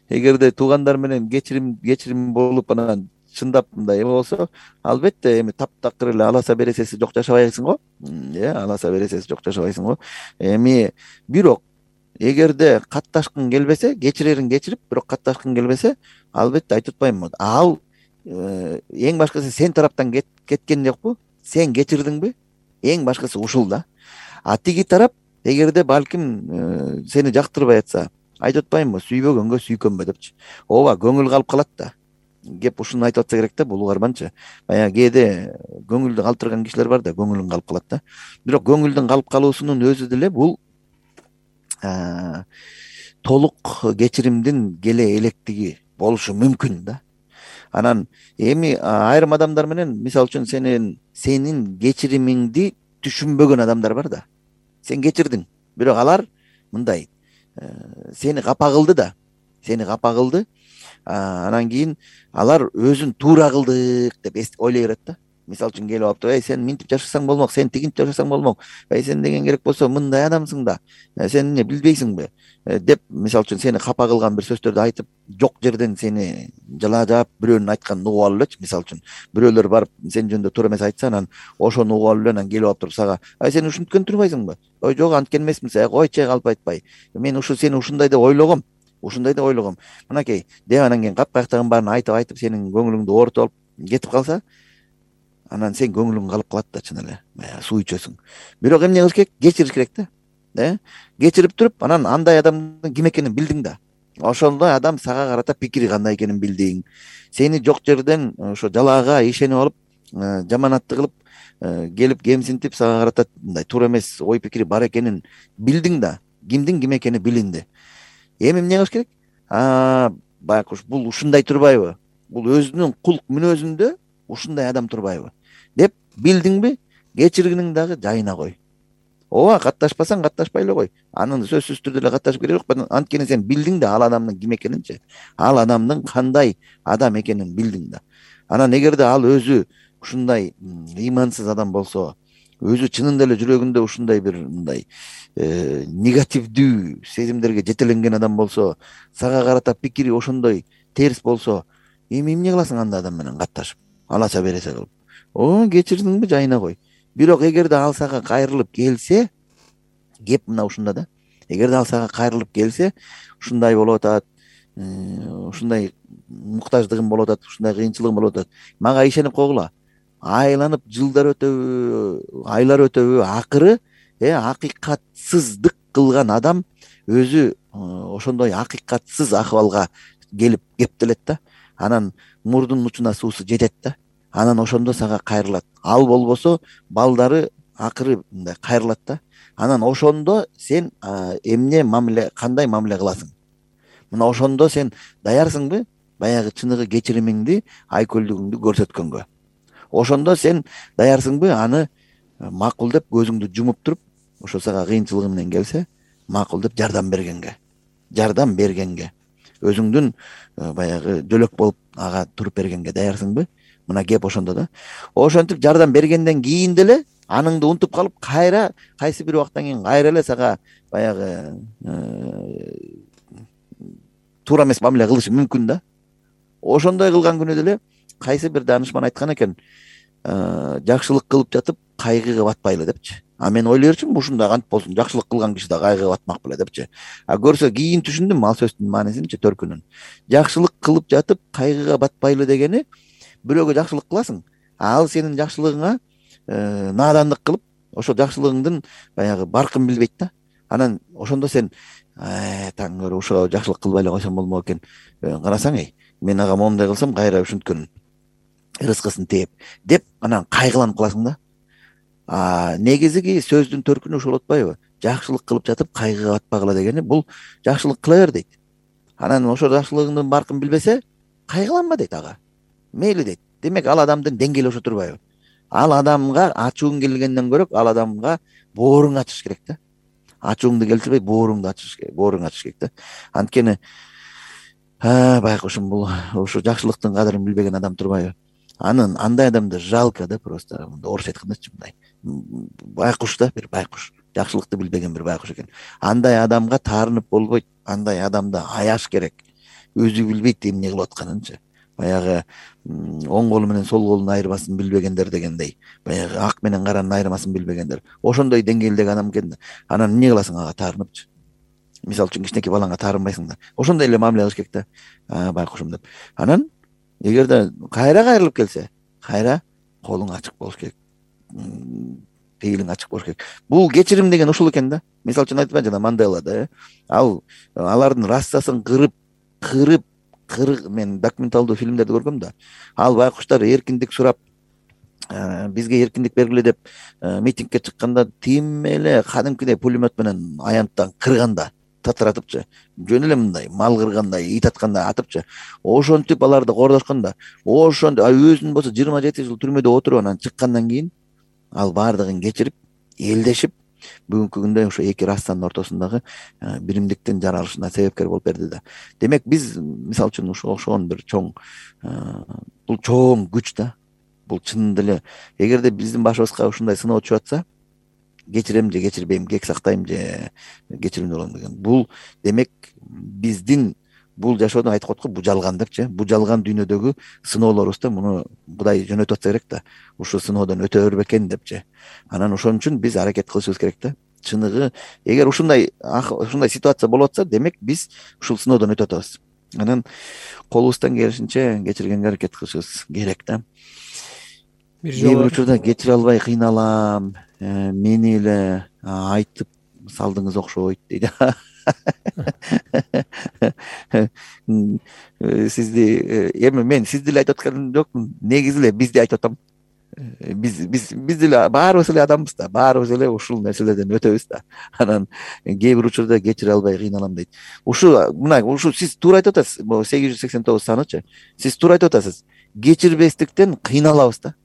эгерде туугандар менен кечирим кечирим болуп анан чындап мындай эме болсо, албетте эми таптакыр эле аласа бересеси жок жашабайсың го. Э, аласа бересеси жок жашабайсың го. Эми бирок эгерде катташкың келбесе, кечирерин кечирип, бирок катташкың келбесе, албетте айтып атпаймынбы. Ал эң башкысы сен тараптан кеткен жокпу? Сен кечирдиңби? Эң башкысы ушул да. А тиги тарап эгерде балким сени жактырбай атса, айтып атпаймынбы? Сүйбөгөнгө сүйкөнбө депчи. Ооба, көңүл калып калат да. Кеп ушуну айтып атса керек да, бул угарманчы. Баягы кээде көңүлдү калтырган кишилер бар да, көңүлүн калып калат да. Бирок көңүлдүн калып калуусунун өзү деле бул толук кечиримдин келе электиги болушу мүмкүн да. Анан эми айрым адамдар менен, мисалы үчүн сенин сенин кечиримиңди түшүнбөгөн адамдар бар да. Сен кечирдиң, бирок алар мындай сени капа кылды да. Сени капа кылды. Анан кийин алар өзүн туура кылдык деп ойлой берет да. Мисалы үчүн келип алып, эй, сен минтип жашасаң болмок, сен тигинтип жашасаң болмок. Эй, сен деген керек болсо мындай адамсың да. Сен эмне билбейсиңби? Деп, мисалы үчүн сени капа кылган бир сөздөрдү айтып, жок жерден сени жалаажап бирөөнүн айтканын угуп алып элечи. Мисалы үчүн бирөөлөр барып сен жөнүндө туура эмес айтса, анан ошону угуп алып эле анан келип алып туруп сага, ай, сен ушинткен турбайсыңбы? Ой, жок, анткен эмесмин, сен койчу, калп айтпай. Мен ушу сени ушундай деп ойлогом. Ушундай деп ойлогом. Мынакей, деп анан кийин капкаяктагын баарын айтып айтып сенин көңүлүңдү оорутуп алып кетип калса, анан сен көңүлүң калып калат да, чын эле. Суу ичесиң. Бирок эмне кылыш керек? Кечириш керек да. Э? Кечирип туруп, анан андай адамдын ким экенин билдиң да. ошондо адам сага карата пикири кандай экенин билдиң. Сени жок жерден ошо жалаага ишенип алып, жаманатты кылып келип кемсинтип сага карата мындай туура эмес ой пикири бар экенин билдиң да, кимдин ким экени билинди. Эми эмне кылыш керек? Байкуш бул ушундай турбайбы? Бул өзүнүн кулк мүнөзүндө ушундай адам турбайбы деп билдиңби? Кечиргениң дагы жайына кой. Ооба, катташпасаң катташпай эле кой. Анын сөзсүз түрдө эле катташып керек жок. Анткени сен билдиң да ал адамдын ким экенинчи, ал адамдын кандай адам экенин билдиң да. Анан эгерде ал өзү ушундай ыймансыз адам болсо, өзү чынында эле жүрөгүндө ушундай бир мындай негативдүү сезимдерге жетеленген адам болсо, сага карата пикири ошондой терс болсо, эми эмне кыласың андай адам менен катташып, алача бересе кылып? О, кечирдиңби, жайына кой. Бирок эгерде ал сага кайрылып келсе, кеп мына ушунда да. Эгерде ал сага кайрылып келсе, ушундай болуп атат, ушундай муктаждыгым болуп атат, ушундай кыйынчылыгым болуп атат. Мага ишенип койгула. Айланып жылдар өтөбү, айлар өтөбү, акыры э акыйкатсыздык кылган адам өзү ошондой акыйкатсыз акыбалга келип кептелет да. Анан мурдунун учуна суусу жетет да. Анан ошондо сага кайрылат. Ал болбосо балдары акыры мындай кайрылат да. Анан ошондо сен эмне мамиле, кандай мамиле кыласың? Мына ошондо сен даярсыңбы баягы чыныгы кечиримиңди, айкөлдүгүңдү көрсөткөнгө? Ошондо сен даярсыңбы аны макул деп көзүңдү жумуп туруп, ошо сага кыйынчылыгы менен келсе, макул деп жардам бергенге, жардам бергенге, өзүңдүн баягы жөлөк болуп ага туруп бергенге даярсыңбы? Мына кеп ошондо да. Ошентип жардам бергенден кийин деле аныңды унутуп калып, кайра кайсы бир убакыттан кийин кайра эле сага баягы туура эмес мамиле кылышы мүмкүн да. Ошондой кылган күнү деле кайсы бир даанышман айткан экен, жакшылык кылып жатып кайгыга батпайлы депчи. А мен ойлой берчүмүн, ушундай кантип болсун, жакшылык кылган киши да кайгыга батмак беле депчи. А көрсө кийин түшүндүм ал сөздүн маанисинчи, төркүнүн. Жакшылык кылып жатып кайгыга батпайлы дегени, бирөөгө жакшылык кыласың, ал сенин жакшылыгыңа наадандык кылып, ошо жакшылыгыңдын баягы баркын билбейт да. Анан ошондо сен таң көрө ушуга жакшылык кылбай эле койсом болмок экен. Карасаң, эй, мен ага моундай кылсам кайра ушинткөн рызкысын тээп деп анан кайгыланып каласың да. А негизги сөздүн төркүнү ушул болуп атпайбы? Жакшылык кылып жатып кайгыга батпагыла дегени, бул жакшылык кыла бер дейт. Анан ошо жакшылыгыңдын баркын билбесе, кайгыланма дейт ага. Мейли дейт. Демек ал адамдын деңгээли ошо турбайбы? Ал адамга ачууң келгенден көрөк, ал адамга бооруң ачыш керек да. Ачууңду келтирбей, бооруңду ачыш керек, бооруң ачыш керек да. Анткени байкушум, бул ушу жакшылыктын кадырын билбеген адам турбайбы? Анын андай адамды жалко да, просто орусча айткандачы мындай байкуш да, бир байкуш, жакшылыкты билбеген бир байкуш экен. Андай адамга таарынып болбойт, андай адамды аяш керек. Өзү билбейт эмне кылып атканынчы. Баягы оң колу менен сол колун айырмасын билбегендер дегендей, баягы ак менен каранын айырмасын билбегендер. Ошондой деңгээлдеги адам экен да. Анан эмне кыласың ага таарыныпчы? Мисалы үчүн кичинекей балаңа таарынбайсың да. Ошондой эле мамиле кылыш керек да. Байкушум деп. Анан эгерде кайра кайрылып келсе, кайра колуң ачык болуш керек. Пейилиң ачык болуш керек. Бул кечирим деген ушул экен да. Мисалы үчүн айтпайм жана Мандела да. Ал алардын расасын кырып, кырып, кырып, мен документалдуу фильмдерди көргөм да. Ал байкуштар эркиндик сурап, бизге эркиндик бергиле деп митингке чыкканда тим эле кадимкидей пулемет менен аянттан кырганда, татыратыпчы, жөн эле мындай мал кыргандай, ит аткандай атыпчы. Ошентип аларды кордошконда, ошондо өзүнүн болсо жыйырма жети жыл түрмөдө отуруп анан чыккандан кийин ал баардыгын кечирип, элдешип, бүгүнкү күндө ошо эки растанын ортосундагы биримдиктин жаралышына себепкер болуп берди да. Демек биз мисалы үчүн ушуга окшогон бир чоң, бул чоң күч да. Бул чынында эле эгерде биздин башыбызга ушундай сыноо түшүп атса, кечирем же кечирбейм, кек сактайм же кечиримдүү болом деген. Бул демек биздин бул жашоодо айтып коет го, бул жалган депчи. Бул жалган дүйнөдөгү сыноолорубузду муну Кудай жөнөтүп атса керек да. Ушул сыноодон өтө бербекен депчи. Анан ошон үчүн биз аракет кылышыбыз керек да. Чыныгы, эгер ушундай ушундай ситуация болуп атса, демек биз ушул сыноодон өтүп атабыз. Анан колубуздан келишинче кечиргенге аракет кылышыбыз керек да. Бир жолу учурда кечире албай кыйналам, мени эле айтып салдыңыз окшойт дейт. сизди эми мен сизди эле айтып атканым жокмун, негизи эле бизди айтып атам. биз биз биз деле баарыбыз эле адамбыз да, баарыбыз эле ушул нерселерден өтөбүз да. Анан кээ бир учурда кечире албай кыйналам дейт. Ушу мына ушу сиз туура айтып атасыз. Могу сегиз жүз сексен тогуз санычы. Сиз туура айтып атасыз. Кечирбестиктен кыйналабыз да.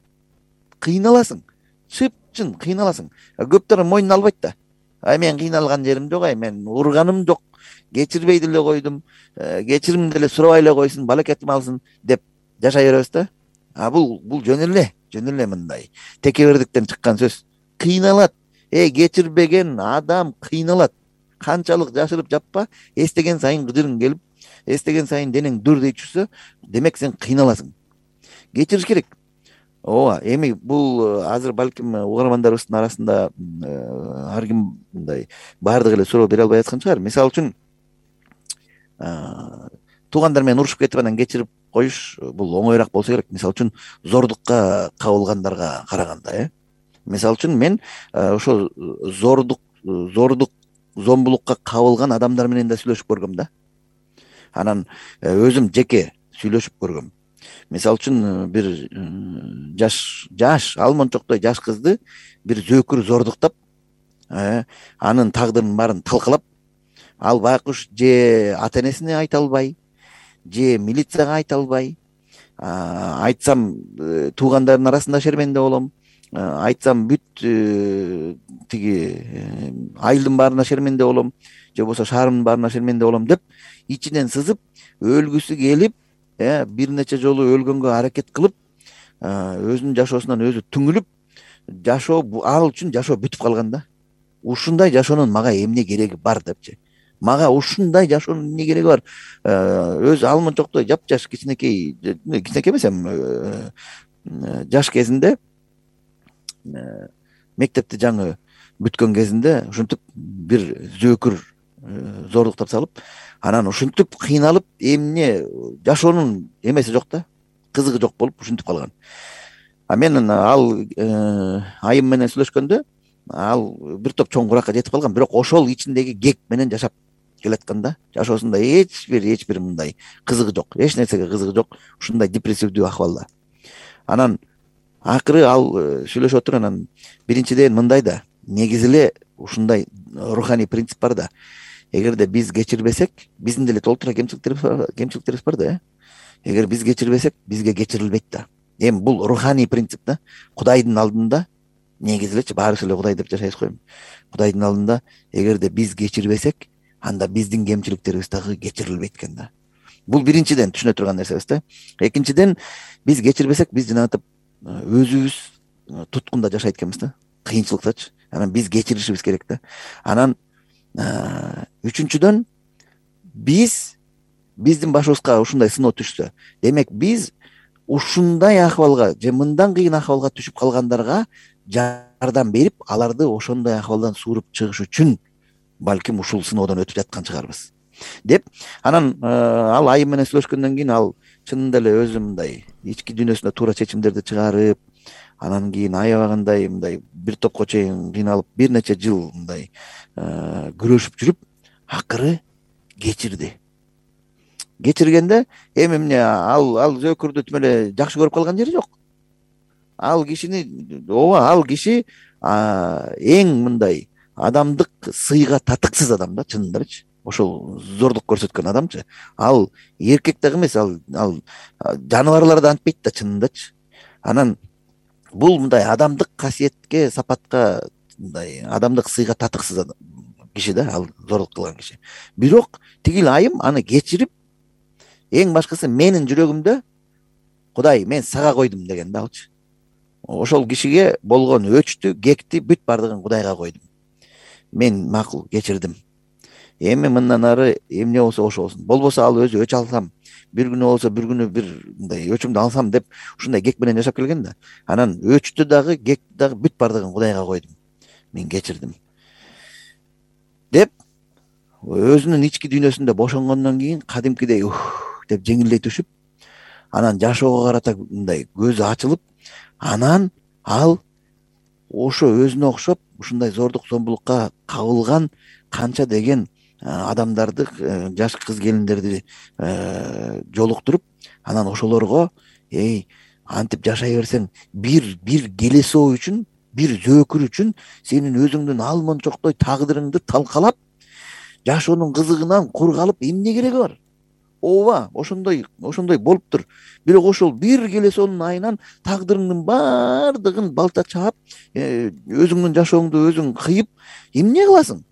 Кыйналасың. Чыпчын кыйналасың. Көптөр мойнуна албайт да. Ай мен кыйналган жерим жок, ай мен урганым жок. Кечирбей деле койдум. Кечирим деле сурабай эле койсун, балекетим алсын деп жашай беребиз да. А бул бул жөн эле, жөн эле мындай текебердиктен чыккан сөз. Кыйналат. Э, кечирбеген адам кыйналат. Канчалык жашырып жаппа, эстеген сайын кыжырың келип, эстеген сайын денең дүрдей түшсө, демек сен кыйналасың. Кечириш керек. Ооба, эми бул азыр балким угармандарыбыздын арасында ар ким мындай баардыгы эле суроо бере албай аткан чыгар. Мисалы үчүн туугандар менен урушуп кетип анан кечирип коюш бул оңоюраак болсо керек. Мисалы үчүн зордукка кабылгандарга караганда, э. Мисалы үчүн мен ошо зордук, зордук, зомбулукка кабылган адамдар менен да сүйлөшүп көргөм да. Анан өзүм жеке сүйлөшүп көргөм. Мисалы үчүн бир жаш жаш алмончоктой жаш кызды бир зөөкүр зордуктап, анын тагдырын баарын талкалап, ал байкуш же ата энесине айта албай, же милицияга айта албай, айтсам туугандарынын арасында шерменде болом, айтсам бүт тиги айылдын баарына шерменде болом, же болбосо шаарымдын баарына шерменде болом деп ичинен сызып, өлгүсү келип, бир нече жолу өлгөнгө аракет кылып, өзүнүн жашоосунан өзү түңүлүп, жашоо ал үчүн жашоо бүтүп калган да. Ушундай жашоонун мага эмне кереги бар депчи. Мага ушундай жашоонун эмне кереги бар? Өзү алмончоктой жапжаш кичинекей, кичинекей эмес эми жаш кезинде, мектепти жаңы бүткөн кезинде ушинтип бир зөөкүр зордуктап салып, анан ушинтип кыйналып, эмне жашоонун эмеси жок да, кызыгы жок болуп ушинтип калган. А мен ал айым менен сүйлөшкөндө, ал бир топ чоң куракка жетип калган, бирок ошол ичиндеги кек менен жашап келаткан да. Жашоосунда эч бир эч бир мындай кызыгы жок, эч нерсеге кызыгы жок, ушундай депрессивдүү акыбалда. Анан акыры ал сүйлөшүп отуруп, анан биринчиден мындай да, негизи эле ушундай руханий принцип бар да. Эгерде биз кечирбесек, биздин деле толтура кемчиликтерибиз кемчиликтерибиз бар да, э. Эгер биз кечирбесек, бизге кечирилбейт да. Эми бул руханий принцип да. Кудайдын алдында негизи элечи баарыбыз эле Кудай деп жашайбыз го эми. Кудайдын алдында эгерде биз кечирбесек, анда биздин кемчиликтерибиз дагы кечирилбейт экен да. Бул биринчиден түшүнө турган нерсебиз да. Экинчиден, биз кечирбесек, биз жанагынтип өзүбүз туткунда жашайт экенбиз да. Кыйынчылыктачы. Анан биз кечиришибиз керек да. Анан үчүнчүдөн, биз биздин башыбызга ушундай сыноо түшсө, демек биз ушундай акыбалга же мындан кыйын акыбалга түшүп калгандарга жардам берип, аларды ошондой акыбалдан сууруп чыгыш үчүн балким ушул сыноодон өтүп жаткан чыгарбыз деп. Анан ал айым менен сүйлөшкөндөн кийин ал чынында эле өзү мындай ички дүйнөсүндө туура чечимдерди чыгарып, анан кийин аябагандай мындай бир топко чейин кыйналып, бир нече жыл мындай күрөшүп жүрүп, акыры кечирди. Кечиргенде эми эмне ал ал зөөкүрдү тим эле жакшы көрүп калган жери жок. Ал кишини, ооба, ал киши эң мындай адамдык сыйга татыксыз адам да, чынындарчы. Ошол зордук көрсөткөн адамчы. Ал эркек дагы эмес, ал ал жаныбарлар да антпейт да, чынындачы. Анан бул мындай адамдык касиетке, сапатка, мындай адамдык сыйга татыксыз киши да, ал зордук кылган киши. Бирок тигил айым аны кечирип, эң башкысы менин жүрөгүмдө Кудай, мен сага койдум деген да алчы. Ошол кишиге болгон өчтү, кекти бүт бардыгын Кудайга койдум. Мен макул кечирдим. Эми мындан ары эмне болсо ошо болсун. Болбосо ал өзү өч алсам, бир күнү болсо бир күнү бир мындай өчүмдү алсам деп ушундай кек менен жашап келген да. Анан өчтү дагы, кекти дагы бүт бардыгын Кудайга койдум. Мен кечирдим деп өзүнүн ички дүйнөсүндө бошонгондон кийин кадимкидей ух деп жеңилдей түшүп, анан жашоого карата мындай көзү ачылып, анан ал ошо өзүнө окшоп ушундай зордук зомбулукка кабылган канча деген адамдарды, жаш кыз келиндерди жолуктуруп, анан ошолорго эй антип жашай берсең, бир бир келесоо үчүн, бир зөөкүр үчүн сенин өзүңдүн алмончоктой тагдырыңды талкалап, жашоонун кызыгынан кур калып эмне кереги бар? Ооба, ошондой ошондой болуптур. Бирок ошол бир келесоонун айынан тагдырыңдын баардыгын балта чаап, өзүңдүн жашооңду өзүң кыйып, эмне кыласың?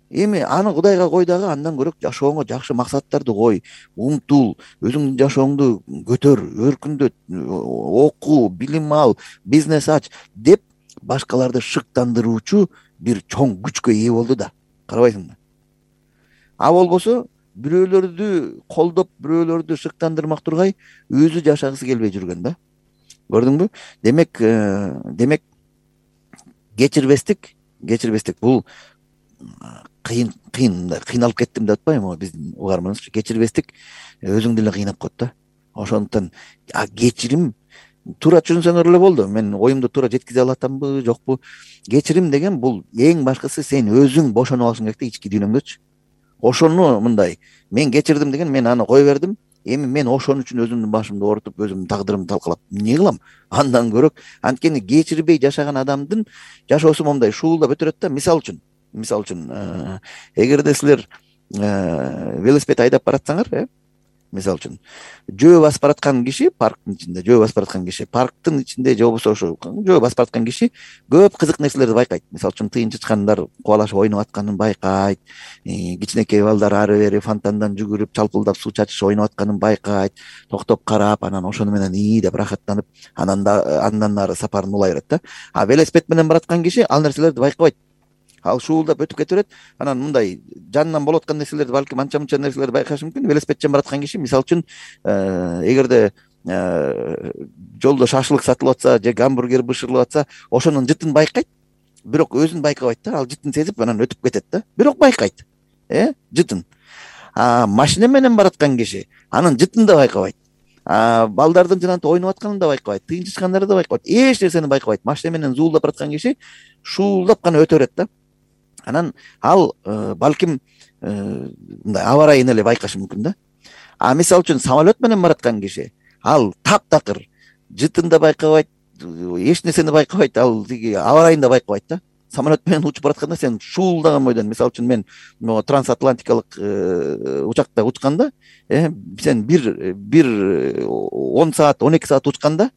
Эми аны Кудайга кой дагы, андан көрөк жашооңо жакшы максаттарды кой, умтул, өзүңдүн жашооңду көтөр, өркүндөт, оку, билим ал, бизнес ач деп башкаларды шыктандыруучу бир чоң күчкө ээ болду да. Карабайсыңбы? А болбосо бирөөлөрдү колдоп, бирөөлөрдү шыктандырмак тургай, өзү жашагысы келбей жүргөн да. Көрдүңбү? Демек, демек кечирбестик, кечирбестик бул кыйын кыйын кыйналып кеттим деп атпайбы биздин угарманыбызчы? Кечирбестик өзүңдү эле кыйнап коет да. Ошондуктан кечирим туура түшүнсөңөр эле болду. Мен оюмду туура жеткизе алып атамбы, жокпу? Кечирим деген бул эң башкысы сен өзүң бошонуп алышың керек да, ички дүйнөңдөчү. Ошону мындай, мен кечирдим деген, мен аны кое бердим. Эми мен ошон үчүн өзүмдүн башымды оорутуп, өзүмдүн тагдырымды талкалап эмне кылам? Андан көрөк, анткени кечирбей жашаган адамдын жашоосу момундай шуулдап өтөрөт да. Мисалы үчүн, мисалы үчүн, эгерде силер велосипед айдап баратсаңар, э, мисалы үчүн, жөө басып бараткан киши, парктын ичинде жөө басып бараткан киши, парктын ичинде же болбосо ошо жөө басып бараткан киши көп кызык нерселерди байкайт. Мисалы үчүн, тыйын чычкандар кубалашып ойноп атканын байкайт, кичинекей балдар ары бери фонтандан жүгүрүп, чалпылдап суу чачышып ойноп атканын байкайт, токтоп карап, анан ошону менен ии деп рахаттанып, анан да андан ары сапарын улай берет да. А велосипед менен бараткан киши ал нерселерди байкабайт. Ал шуулдап өтүп кете берет. Анан мындай жанынан болуп аткан нерселерди, балким анча-мынча нерселерди байкашы мүмкүн. Велосипедчен бараткан киши, мисалы үчүн, эгерде жолдо шашлык сатылып атса же гамбургер бышырылып атса, ошонун жытын байкайт, бирок өзүн байкабайт да. Ал жытын сезип анан өтүп кетет да. Бирок байкайт. Э, жытын. А машина менен бараткан киши анын жытын да байкабайт. А балдардын жанагынтип ойноп атканын да байкабайт, тыйын чычкандарды да байкабайт, эч нерсени байкабайт. Машина менен зуулдап бараткан киши шуулдап гана өтө берет да. Анан ал балким мындай аба ырайын эле байкашы мүмкүн да. А мисалы үчүн самолет менен бараткан киши ал таптакыр, жытын да байкабайт, эч нерсени байкабайт, ал тиги аба ырайын да байкабайт да. Самолет менен учуп баратканда сен шуулдаган бойдон, мисалы үчүн мен могу трансатлантикалык учакта учканда, сен бир бир он саат, он эки саат учканда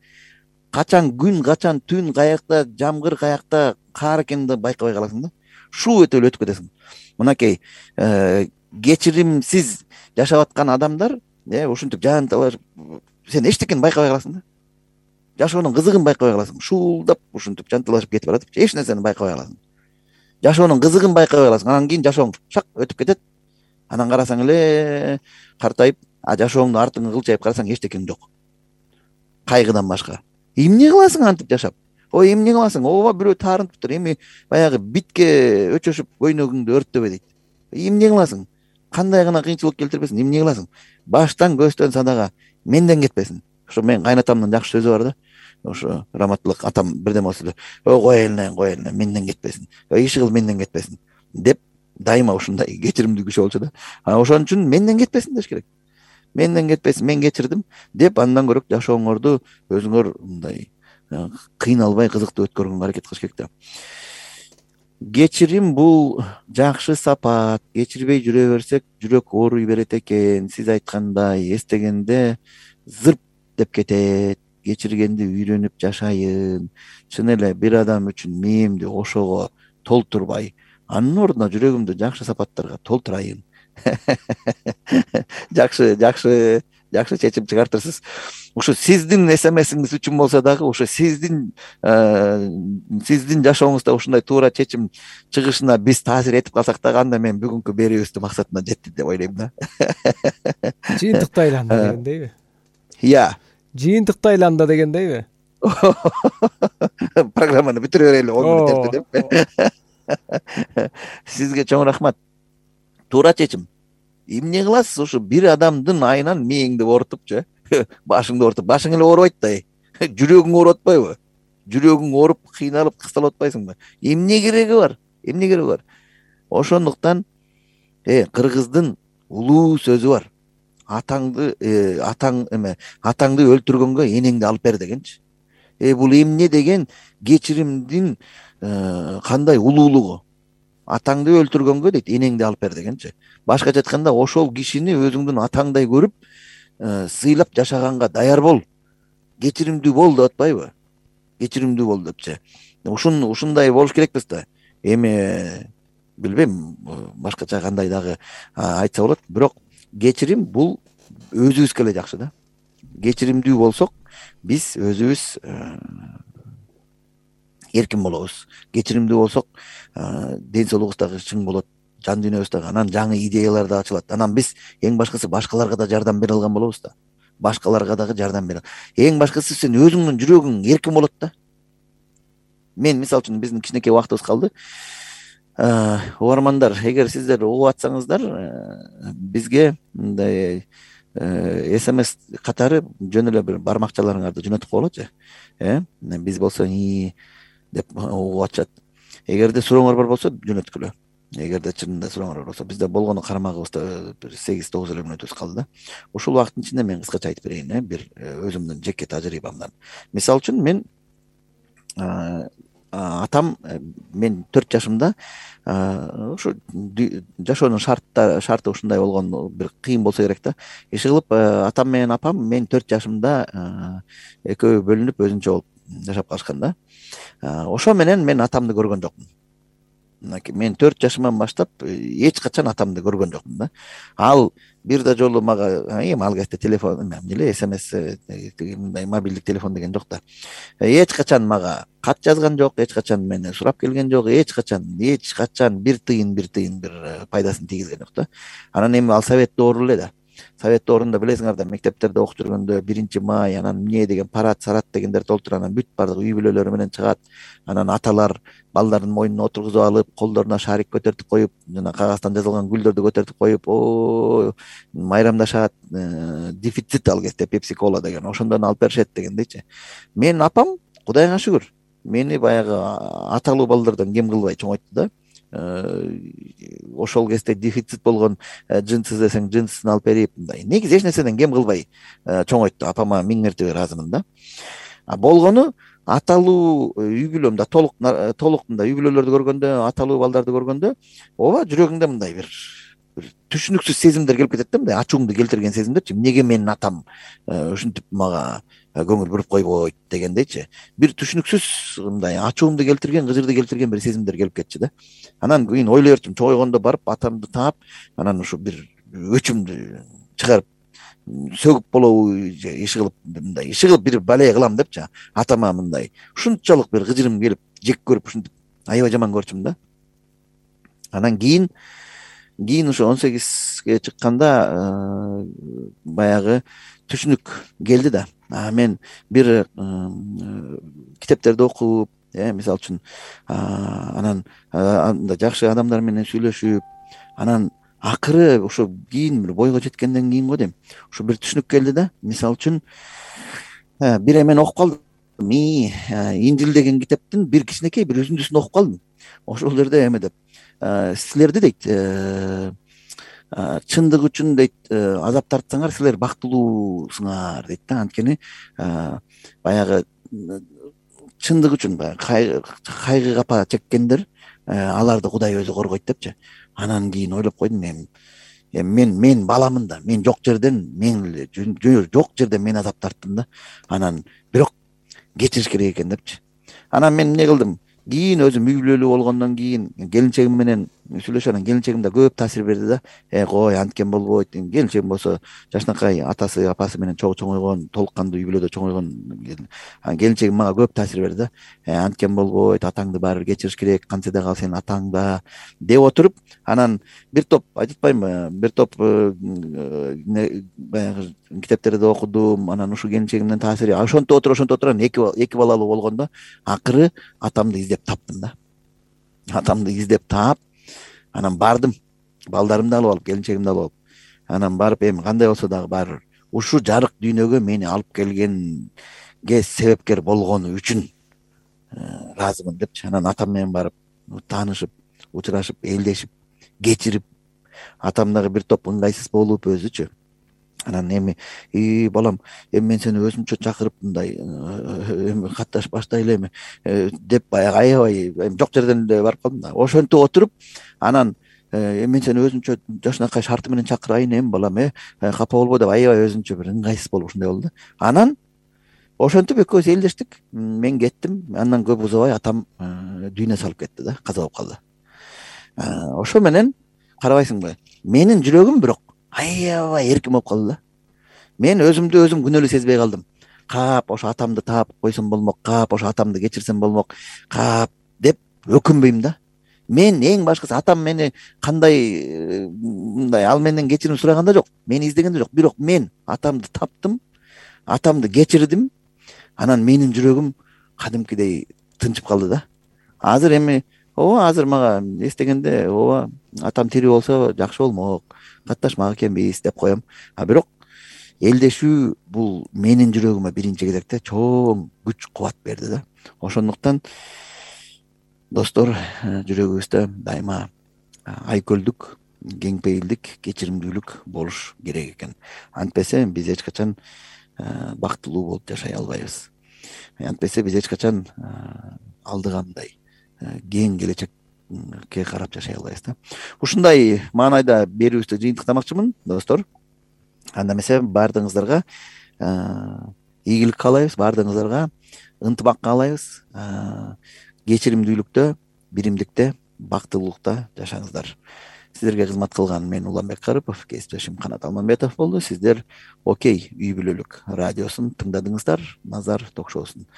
качан күн, качан түн, каякта жамгыр, каякта каар экенин да байкабай каласың да. Шуу өтүп эле өтүп кетесиң. Мынакей кечиримсиз жашап аткан адамдар, ушинтип жан талашып, сен эчтекени байкабай каласың да. Жашоонун кызыгын байкабай каласың. Шуулдап ушинтип жанталашып кетип баратып, эч нерсени байкабай каласың. Жашоонун кызыгын байкабай каласың. Анан кийин жашооң шак өтүп кетет. Анан карасаң эле картайып, а жашооңду артыңа кылчайып карасаң эчтекең жок. Кайгыдан башка. Эмне кыласың антип жашап? Ой, эмне кыласың? Ооба бирөө таарынтыптыр. Эми баягы битке өчөшүп көйнөгүңдү өрттөбө дейт. Эмне кыласың? Кандай гана кыйынчылык келтирбесин, эмне кыласың? Баштан көстөн садага менден кетпесин. Ошо мен кайнатамдын жакшы сөзү бар да. Ошо раматтылык атам бирдеме болсо, "Ой, кой эле, кой эле, менден кетпесин. Иш кыл, менден кетпесин" деп дайыма ушундай кечиримдүү күчү болчу да. А ошон үчүн менден кетпесин деш керек. Менден кетпесин, мен кечирдим деп андан көрөк жашооңорду өзүңөр мындай кыйналбай кызыктуу өткөргөнгө аракет кылыш керек да. Кечирим бул жакшы сапат. Кечирбей жүрө берсек, жүрөк ооруй берет экен. Сиз айткандай, эстегенде зырп деп кетет. Кечиргенди үйрөнүп жашайын. Чын эле бир адам үчүн мээримди ошого толтурбай, анын ордуна жүрөгүмдү жакшы сапаттарга толтурайын. Жакшы, жакшы, жакшы чечим чыгартырсыз. Ушу сиздин смсиңиз үчүн болсо дагы, ушу сиздин сиздин жашооңузда ушундай туура чечим чыгышына биз таасир этип калсак дагы, анда мен бүгүнкү берүүбүздүн максатына жеттик деп ойлойм да. Жыйынтыкты айланды дегендейби? Иә. Жыйынтыкты айланды дегендейби? Программаны бүтүрө берели он мүнөттө деп. Сизге чоң рахмат. Туура чечим. Эмне кыласыз? Ушу бир адамдын айынан мээңди оорутупчу, башыңды оорутуп, башың эле оорубайт да. Жүрөгүң ооруп атпайбы? Жүрөгүң ооруп, кыйналып, кысталып атпайсыңбы? Эмне кереги бар? Эмне кереги бар? Ошондуктан э кыргыздын улуу сөзү бар. Атаңды атаң эме атаңды өлтүргөнгө энеңди алып бер дегенчи. Э бул эмне деген кечиримдин кандай улуулугу? Атаңды өлтүргөнгө дейт энеңди алып бер дегенчи. Башкача айтканда ошол кишини өзүңдүн атаңдай көрүп сыйлап жашаганга даяр бол, кечиримдүү бол деп атпайбы? Кечиримдүү бол депчи. Ушун ушундай болуш керекпиз да. Эми билбейм башкача кандай дагы айтса болот, бирок кечирим бул өзүбүзгө эле жакшы да. Кечиримдүү болсок биз өзүбүз эркин болобуз. Кечиримдүү болсок ден соолугубуз дагы чың болот, жан дүйнөбүз дагы, анан жаңы идеялар да ачылат. Анан биз эң башкысы башкаларга да жардам бере алган болобуз да. Башкаларга дагы жардам бере. Эң башкысы сен өзүңдүн жүрөгүң эркин болот да. Мен мисалы үчүн биздин кичинекей убактыбыз калды. Угармандар, эгер сиздер угуп атсаңыздар, бизге мындай смс катары жөн эле бир бармакчаларыңарды жөнөтүп коелучу. Э биз болсо и деп угуп атышат. Эгерде сурооңор бар болсо жөнөткүлө. Эгерде чынында сурооңор бар болсо, бизде болгону карамагыбызда бир сегиз тогуз эле мүнөтүбүз калды да. Ушул убакыттын ичинде мен кыскача айтып берейин, э бир өзүмдүн жеке тажрыйбамдан. Мисалы үчүн мен атам мен төрт жашымда ушу жашоонун шарттары шарты ушундай болгон, бир кыйын болсо керек да. Иши кылып атам менен апам мен төрт жашымда экөө бөлүнүп өзүнчө болуп жашап калышкан да. Ошо менен мен атамды көргөн жокмун. Мен төрт жашыман баштап эч качан атамды көргөн жокмун да. Ал бир да жолу мага эми ал кезде телефон эмне эле смс мындай мобилдик телефон деген жок да. Эч качан мага кат жазган жок, эч качан мени сурап келген жок, эч качан эч качан бир тыйын бир тыйын бир пайдасын тийгизген жок да. Анан эми ал совет доору эле да. Совет доорунда билесиңер да, мектептерде окуп жүргөндө биринчи май, анан эмне деген парад, сарат дегендер толтур, анан бүт баардык үй бүлөлөрү менен чыгат. Анан аталар балдардын мойнуна отургузуп алып, колдоруна шарик көтөртүп коюп, жана кагаздан жазылган гүлдөрдү көтөртүп коюп, о майрамдашат. Дефицит ал кезде пепси кола деген, ошондон алып беришет дегендейчи. Менин апам, Кудайга шүгүр, мени баягы аталуу балдардан кем кылбай чоңойтtu да. Ошол кезде дефицит болгон джинсы десең джинсысын алып берип, мындай негизи эч нерседен кем кылбай чоңойтtu. Апама миң мертебе ыраазымын да. А болгону аталуу үй бүлөмдө толук толук мындай үй бүлөлөрдү көргөндө, аталуу балдарды көргөндө, ооба жүрөгүңдө мындай бир бир түшүнүксүз сезимдер келип кетет да, мындай ачууңду келтирген сезимдерчи. Эмнеге менин атам ушинтип мага көңүл буруп койбойт дегендейчи. Бир түшүнүксүз мындай ачууңду келтирген, кыжырды келтирген бир сезимдер келип кетчү да. Анан кийин ойлой берчүм, чоңойгондо барып атамды таап, анан ушу бир өчүмдү чыгарып сөгүп болобу, иши кылып мындай иши кылып бир бале кылам депчи. Атама мындай ушунчалык бир кыжырым келип, жек көрүп ушинтип аябай жаман көрчүм да. Анан кийин кийин ушу он сегизге чыкканда баягы түшүнүк келди да. Мен бир китептерди окуп, мисалы үчүн анан анда жакшы адамдар менен сүйлөшүп, анан акыры ошо кийин бир бойго жеткенден кийин го дейм, ушу бир түшүнүк келди да. Мисалы үчүн бир эмени окуп калдым. Инжил деген китептин бир кичинекей бир үзүндүсүн окуп калдым. Ошол жерде эме деп, силерди дейт, чындык үчүн дейт азап тартсаңар силер бактылуусуңар дейт да. Анткени баягы чындык үчүн кайгы капа чеккендер, аларды Кудай өзү коргойт депчи. Анан кийин ойлоп койдум, эми мен мен баламын да, мен жок жерден мен жок жерден мен азап тарттым да. Анан бирок кечириш керек экен депчи. Анан мен эмне кылдым? Кийин өзүм үй бүлөлүү болгондон кийин келинчегим менен сүйлөшөм, келинчегим да көп таасир берди да. Э кой, анткен болбойт. Келинчегим болсо жашынакай атасы, апасы менен чогуу чоңойгон, толук кандуу үй бүлөдө чоңойгон. Келинчегим мага көп таасир берди да. Э анткен болбойт, атаңды баары кечириш керек, кантсе да кал сенин атаң да деп отуруп, анан бир топ айтпаймынбы, бир топ баягы китептерди окудум. Анан ушу келинчегимдин таасири ошонтип отуруп, ошонтип отуруп эки эки балалуу болгондо акыры атамды издеп таптым да. Атамды издеп таап, анан бардым. Балдарымды алып алып, келинчегимди алып алып. Анан барып, эми кандай болсо дагы баары ушу жарык дүйнөгө мени алып келгенге себепкер болгону үчүн ыраазымын депчи. Анан атам менен барып таанышып, учурашып, элдешип, кечирип, атам дагы бир топ ыңгайсыз болуп өзүчү. Анан эми и балам эми мен сени өзүмчө чакырып мындай эми катташ баштайлы эми деп баягы аябай эми жок жерден эле барып калдым да. Ошентип отуруп анан эми мен сени өзүнчө жашынакай шарты менен чакырайын эми балам э капа болбо деп аябай өзүнчө бир ыңгайсыз болуп ушундай болду да. Анан ошентип экөөбүз элдештик. Мен кеттим. Андан көп узабай атам дүйнө салып кетти да, каза болуп калды. Ошо менен карабайсыңбы, менин жүрөгүм бирок аябай эркин болуп калды да. Мен өзүмдү өзүм күнөөлүү сезбей калдым. Кап ошо атамды таап койсом болмок, кап ошо атамды кечирсем болмок, кап деп өкүнбөйм да. Мен эң башкысы атам мени кандай мындай ал менден кечирим сураганда жок, мени издегенде жок, бирок мен атамды таптым, атамды кечирдим. Анан менин жүрөгүм кадимкидей тынчып калды да. Азыр эми ооба азыр мага эстегенде ооба атам тирүү болсо жакшы болмок, катташмак экенбиз деп коем. А бирок элдешүү бул менин жүрөгүмө биринчи кезекте чоң күч кубат берди да. Ошондуктан достор, жүрөгүбүздө дайыма айкөлдүк, кеңпейилдик, кечиримдүүлүк болуш керек экен. Антпесе биз эч качан бактылуу болуп жашай албайбыз. Антпесе биз эч качан алдыгандай кең келечекке карап жашай албайбыз да. Ушундай маанайда берүүбүздү жыйынтыктамакчымын, достор. Анда эмесе баардыгыңыздарга ийгилик каалайбыз, баардыгыңыздарга ынтымак каалайбыз. Кечиримдүүлүктө, биримдикте, бактылуулукта жашаңыздар. Сиздерге кызмат кылган мен Уланбек Карыпов, кесиптешим Канат Алмамбетов болду. Сиздер Окей үй бүлөлүк радиосун тыңдадыңыздар, Назар ток-шоусун.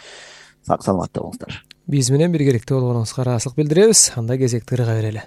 Сак саламатта болуңуздар. Биз менен биргеликте болгонуңузга ыраазычылык билдиребиз. Анда кезекти ырга берели.